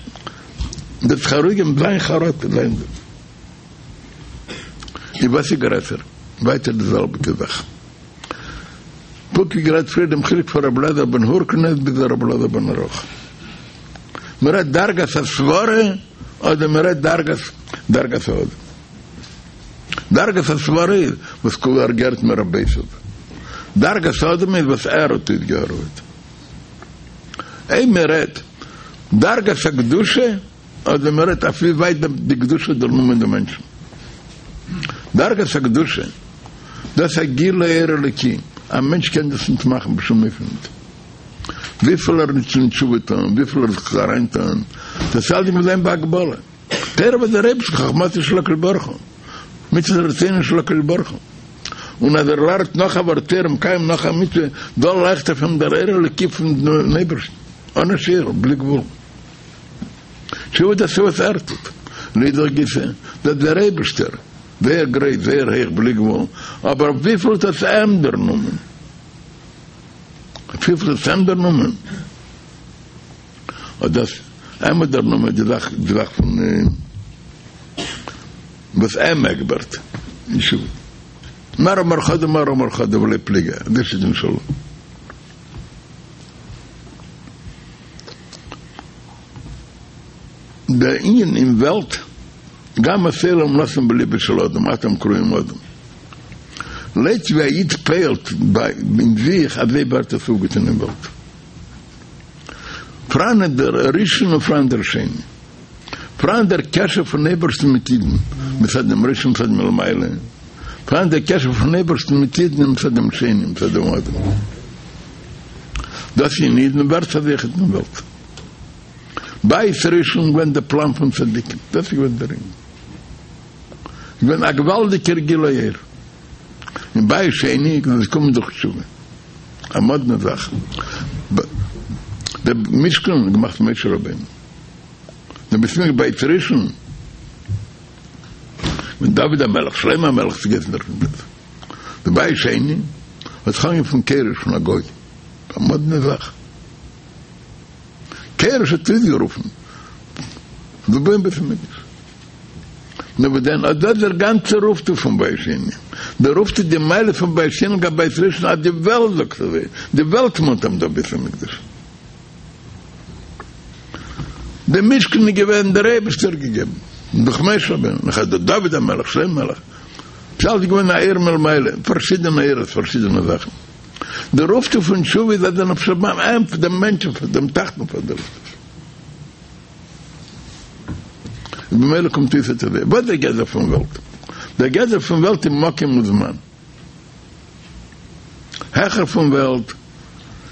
זיך ארויסגעבן זיין חרטה זיין דאס איז וואס איז גרעסער ווייטער די זעלביגע זאך. פונקט ווי גערעדט פריער דעם חילוק פון רבי אלעזר בן הורקנוס ביז רבי אלעזר בן ערך. מען רעדט דרגת הסברה אדער מען רעדט דרגת דרגת האדם. דרגת הסברה איז וואס ער האט געהערט מרבותיו. דרגת האדם איז וואס ער האט אויסגעהארעוועט. אויב מען רעדט דרגת הקדושה אדער מען רעדט אויף ווי ווייט די קדושה האט דערנומען די מענטשן. דרגת הקדושה, דאס איז א גילוי אור אלוקי, א מענטש קען דאס נישט מאכן בשום אופן נישט. וויפיל ער וועט שוין תשובה טון, וויפיל ער זיך אריינטון, דאס אלץ מוז זיין בהגבלה. תורה וואס דער אייבערשטער חכמתו של הקדוש ברוך הוא, מצוות רצונו של הקדוש ברוך הוא, און אז ער לערנט נאך א ווארט תורה מקיים נאך א מצוה, דא לייכט אויף אים דער אור אלוקי פון אייבערשטן, אן א שיעור, בלי גבול. תשובה דאס וואס ער טוט, לאידך גיסא, דאס דער אייבערשטער, זייער גרויס, זייער הויך, בלי גבול, אבער וויפיל האט עס אים דערנומען? וויפיל האט עס אים דערנומען? האט דאס אים האט דערנומען די זאך, די זאך פון וואס אים עגבערט אין תשובה. מר אמר חדא מר אמר חדא ולא פליגי, דאס איז די שאלה. דער ענין אין וועלט, גם את העולם נתן בלבו של אדם, אתם קרויים אדם. לויט ווי א איד פועל'ט ביי אין זיך אזוי ווערט עס אויפגעטון אין וועלט. פראן דער ראשון און פראן דער שני. פראן דער קשר פון אייבערשטן מיט אידן מצד דעם ראשון מצד מלמעלה. פראן דער קשר פון אייבערשטן מיט אידן מצד דעם שני מצד דעם אדם. דאס אין אידן ווערט אזוי אויכעט אין וועלט. בית ראשון געווען דער פלאם פון צדיקים. דאס איז געווען דער ענין. געווען א געוואלדיגער גילוי אור. אין בית שני איז עס געקומען דורך תשובה. א מאדנע זאך. דער משכן האט געמאכט משה רבינו. דער בית המקדש בית ראשון מיט דוד המלך, שלמה המלך איז געווען דער דער בית שני האט זיך אנגעהויבן פון כורש פון א גוי. א מאדנע זאך. כורש האט אויסגערופן צו בויען בית המקדש. נאר וואס דען, אט דאס איז דער גאנצער אויפטו פון בית שני. דער אויפטו די מעלה פון בית שני לגבי בית ראשון אז די וועלט זאגט אזוי, די וועלט מאנט אז מ'דארף בית המקדש. די משכן איז געווען דער אייבערשטער האט געגעבן דורך משה רבינו, נאכער דורך דוד המלך, שלמה המלך, ס'איז אלץ געווען א אור מלמעלה, פארשידענע אורות, פארשידענע זאכן. דער אויפטו פון תשובה איז אז דער נפש הבהמית, דעם מענטשן, דעם תחתון פארדערט עס. במילא קומט אויס אט אזוי. וואס דער גדר פון וועלט? דער גדר פון וועלט איז מקום וזמן. העכער פון וועלט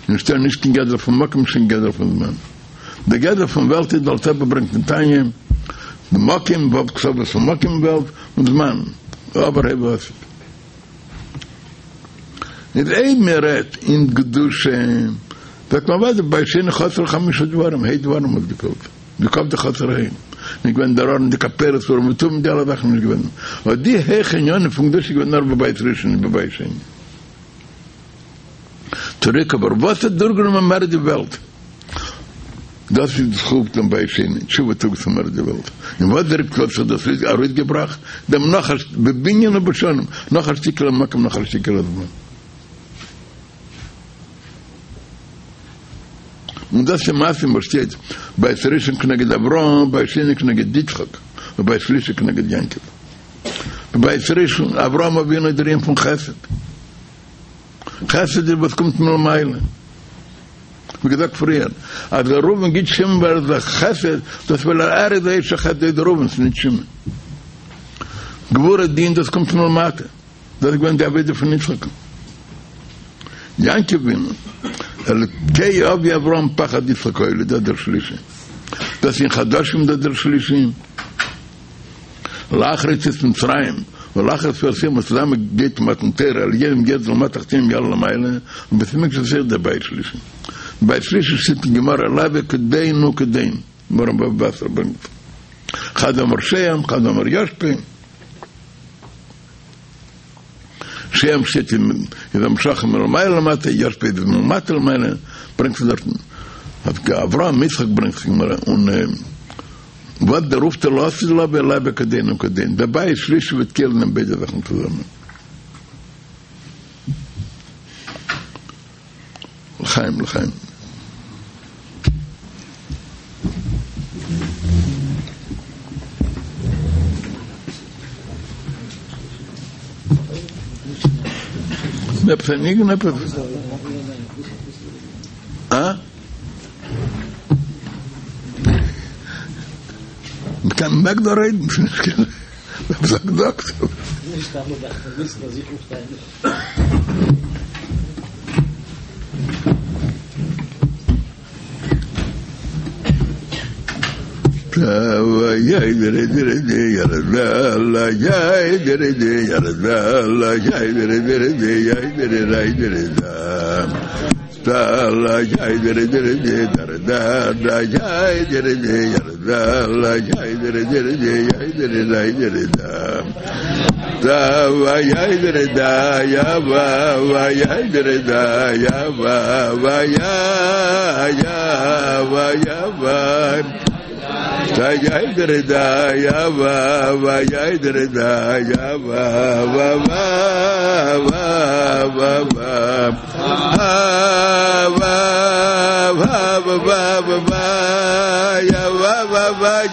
נישטא נישט קיין גדר פון מקום נישט קיין גדר פון זמן. דער גדר פון וועלט איז דער אלטער רבי ברענגט אין תניא, די מקום, ו' קצוות פון מקום וועלט, און זמן, עבר הווה ועתיד. איז אויב מען רעדט אין קדושה, זאגט מען אוודאי בית שני חסר חמשה דברים, ה' דברים האט געפעלט, ווי קומט די חסר ה'? נישט געווען דער ארון די כפורת אורים ותומים די אלע זאכן נישט געווען, אט די הויכע ענינים פון קדושה איז געווען נאר בבית ראשון נישט בבית שני. צוריק אבער וואס האט דורכגענומען מער די וועלט? דאס איז דאס אויפטו פון בית שני, תשובה טראגט צו מער די וועלט, און וואס דער האט זיך דאס ארויסגעבראכט, דעם נאך א בבנין ובשנים, נאך א שטיקעלע מקום נאך א שטיקעלע זמן. און דאס איז מתאים וואס שטייט בית ראשון כנגד אברהם, בית שני כנגד יצחק, ובית שלישי כנגד יעקב. בית ראשון, אברהם אבינו איז דער ענין פון חסד. חסד איז וואס קומט מלמעלה. ווי געזאגט פריער, אז דער ראובן גיט שמעון ווייל ער איז א חסד, דאס ווייל ער איז א איש החסד איז ראובן, ס'איז נישט שמעון. גבורה דין דאס קומט מלמטה, דאס איז געווען די עבודה פון יצחק. יעקב אבינו, אלוקי אבי אברהם פחד יצחק היה לי, דאס דער שלישי. דאס אין חדשים דאס דער שלישי. לאחר יציאת מצרים ולאחר ספירת העומר צוזאמען גייט מתן תורה עליונים ירדו למטה תחתונים יעלו למעלה און בית המקדש איז דער בית שלישי בית שלישי שטייט אין גמרא להוי כדין וכדין גמרא אין בבא בתרא ברענגט חד אמר שוהם חד אמר ישפה שוהם שטייט אין איז המשכה מלמעלה למטה ישפה איז מלמטה למעלה ברענגט זיך דארטן אברהם יצחק ברענגט זיך גמרא און וואס דער אויפטו לעתיד לבוא להוי כדין וכדין דער בית שלישי וועט כולל זיין ביידע זאכן צוזאמען. לחיים לחיים. עפעס א ניגון עפעס? אה? מ'קען מעג דא רעדן ס'נישט קיין זאג זאגט. נישט אלע דארפן וויסן אז איך פארשטיי נישט.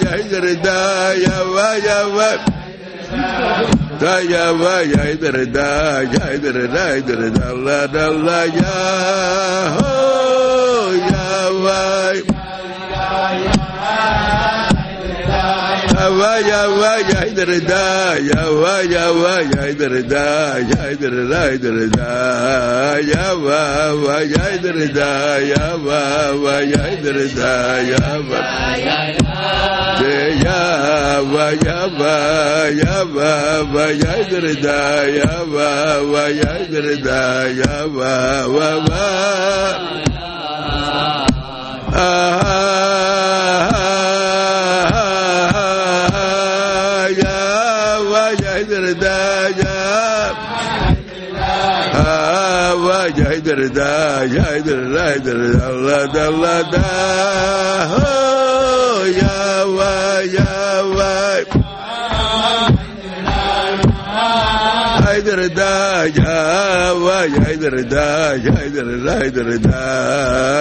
ya da ya va ya va da ya va ya da da ya da da da da la da la ya ho ya va va ya va ya da da ya va ya va ya da da ya da da da da ya va va ya da da ya va va ya da da ya va ya va ya va ya va va ya da da ya va va ya da da ya va va va da ya da da da da la da ho ya wa ya wa da ya wa ya da ya da da da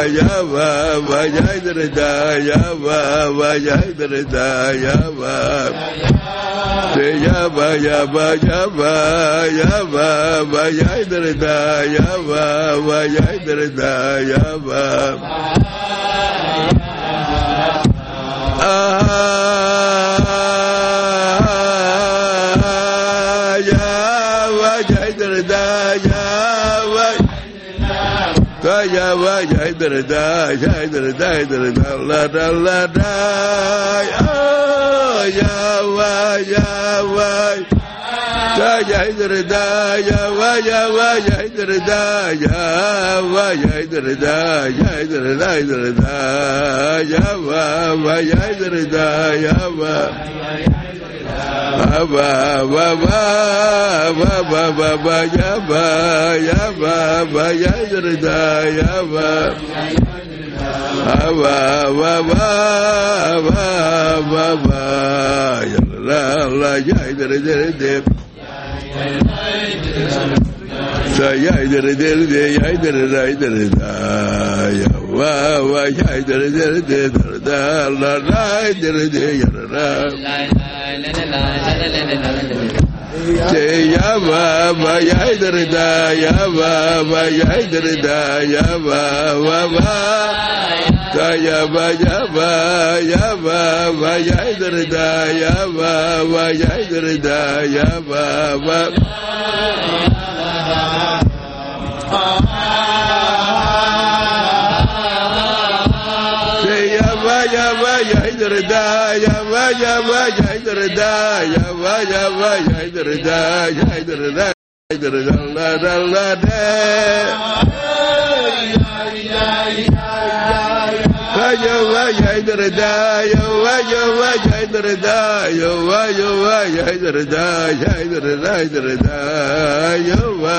ya wa wa ya da ya wa wa ya da ya wa ya ba ya ba ya ba ya ba ba ya da da ya ba ba ya da da ya ba ya wa ya da da ya wa da ya wa ya da da ya da da da da la da la da ya wa ya wa da ya da da ya wa ya wa ya da da ya wa ya da da ya da da da da ya wa wa ya da da ya wa ba ba ba ba ba ba ba ya ba ya ba ba ya da da ya ba ba ba ba ba ba ba ya la la ya da da da da ya da da da ya da da da da ya wa wa ya da da da da la la da da ya la ya ba ba ya da da ya ba ba ya da da ya ba ba ba da ya ba ya ba ya ba ba ya da da ya ba ba ya da da ya ba ba ya ba ya ba ya da da ya ba ya ba ya da da ya ba ya ba ya da da ya da da da da la da la da ya wa ya da da ya wa ya wa ya da da ya wa ya wa ya da da ya da da da da ya wa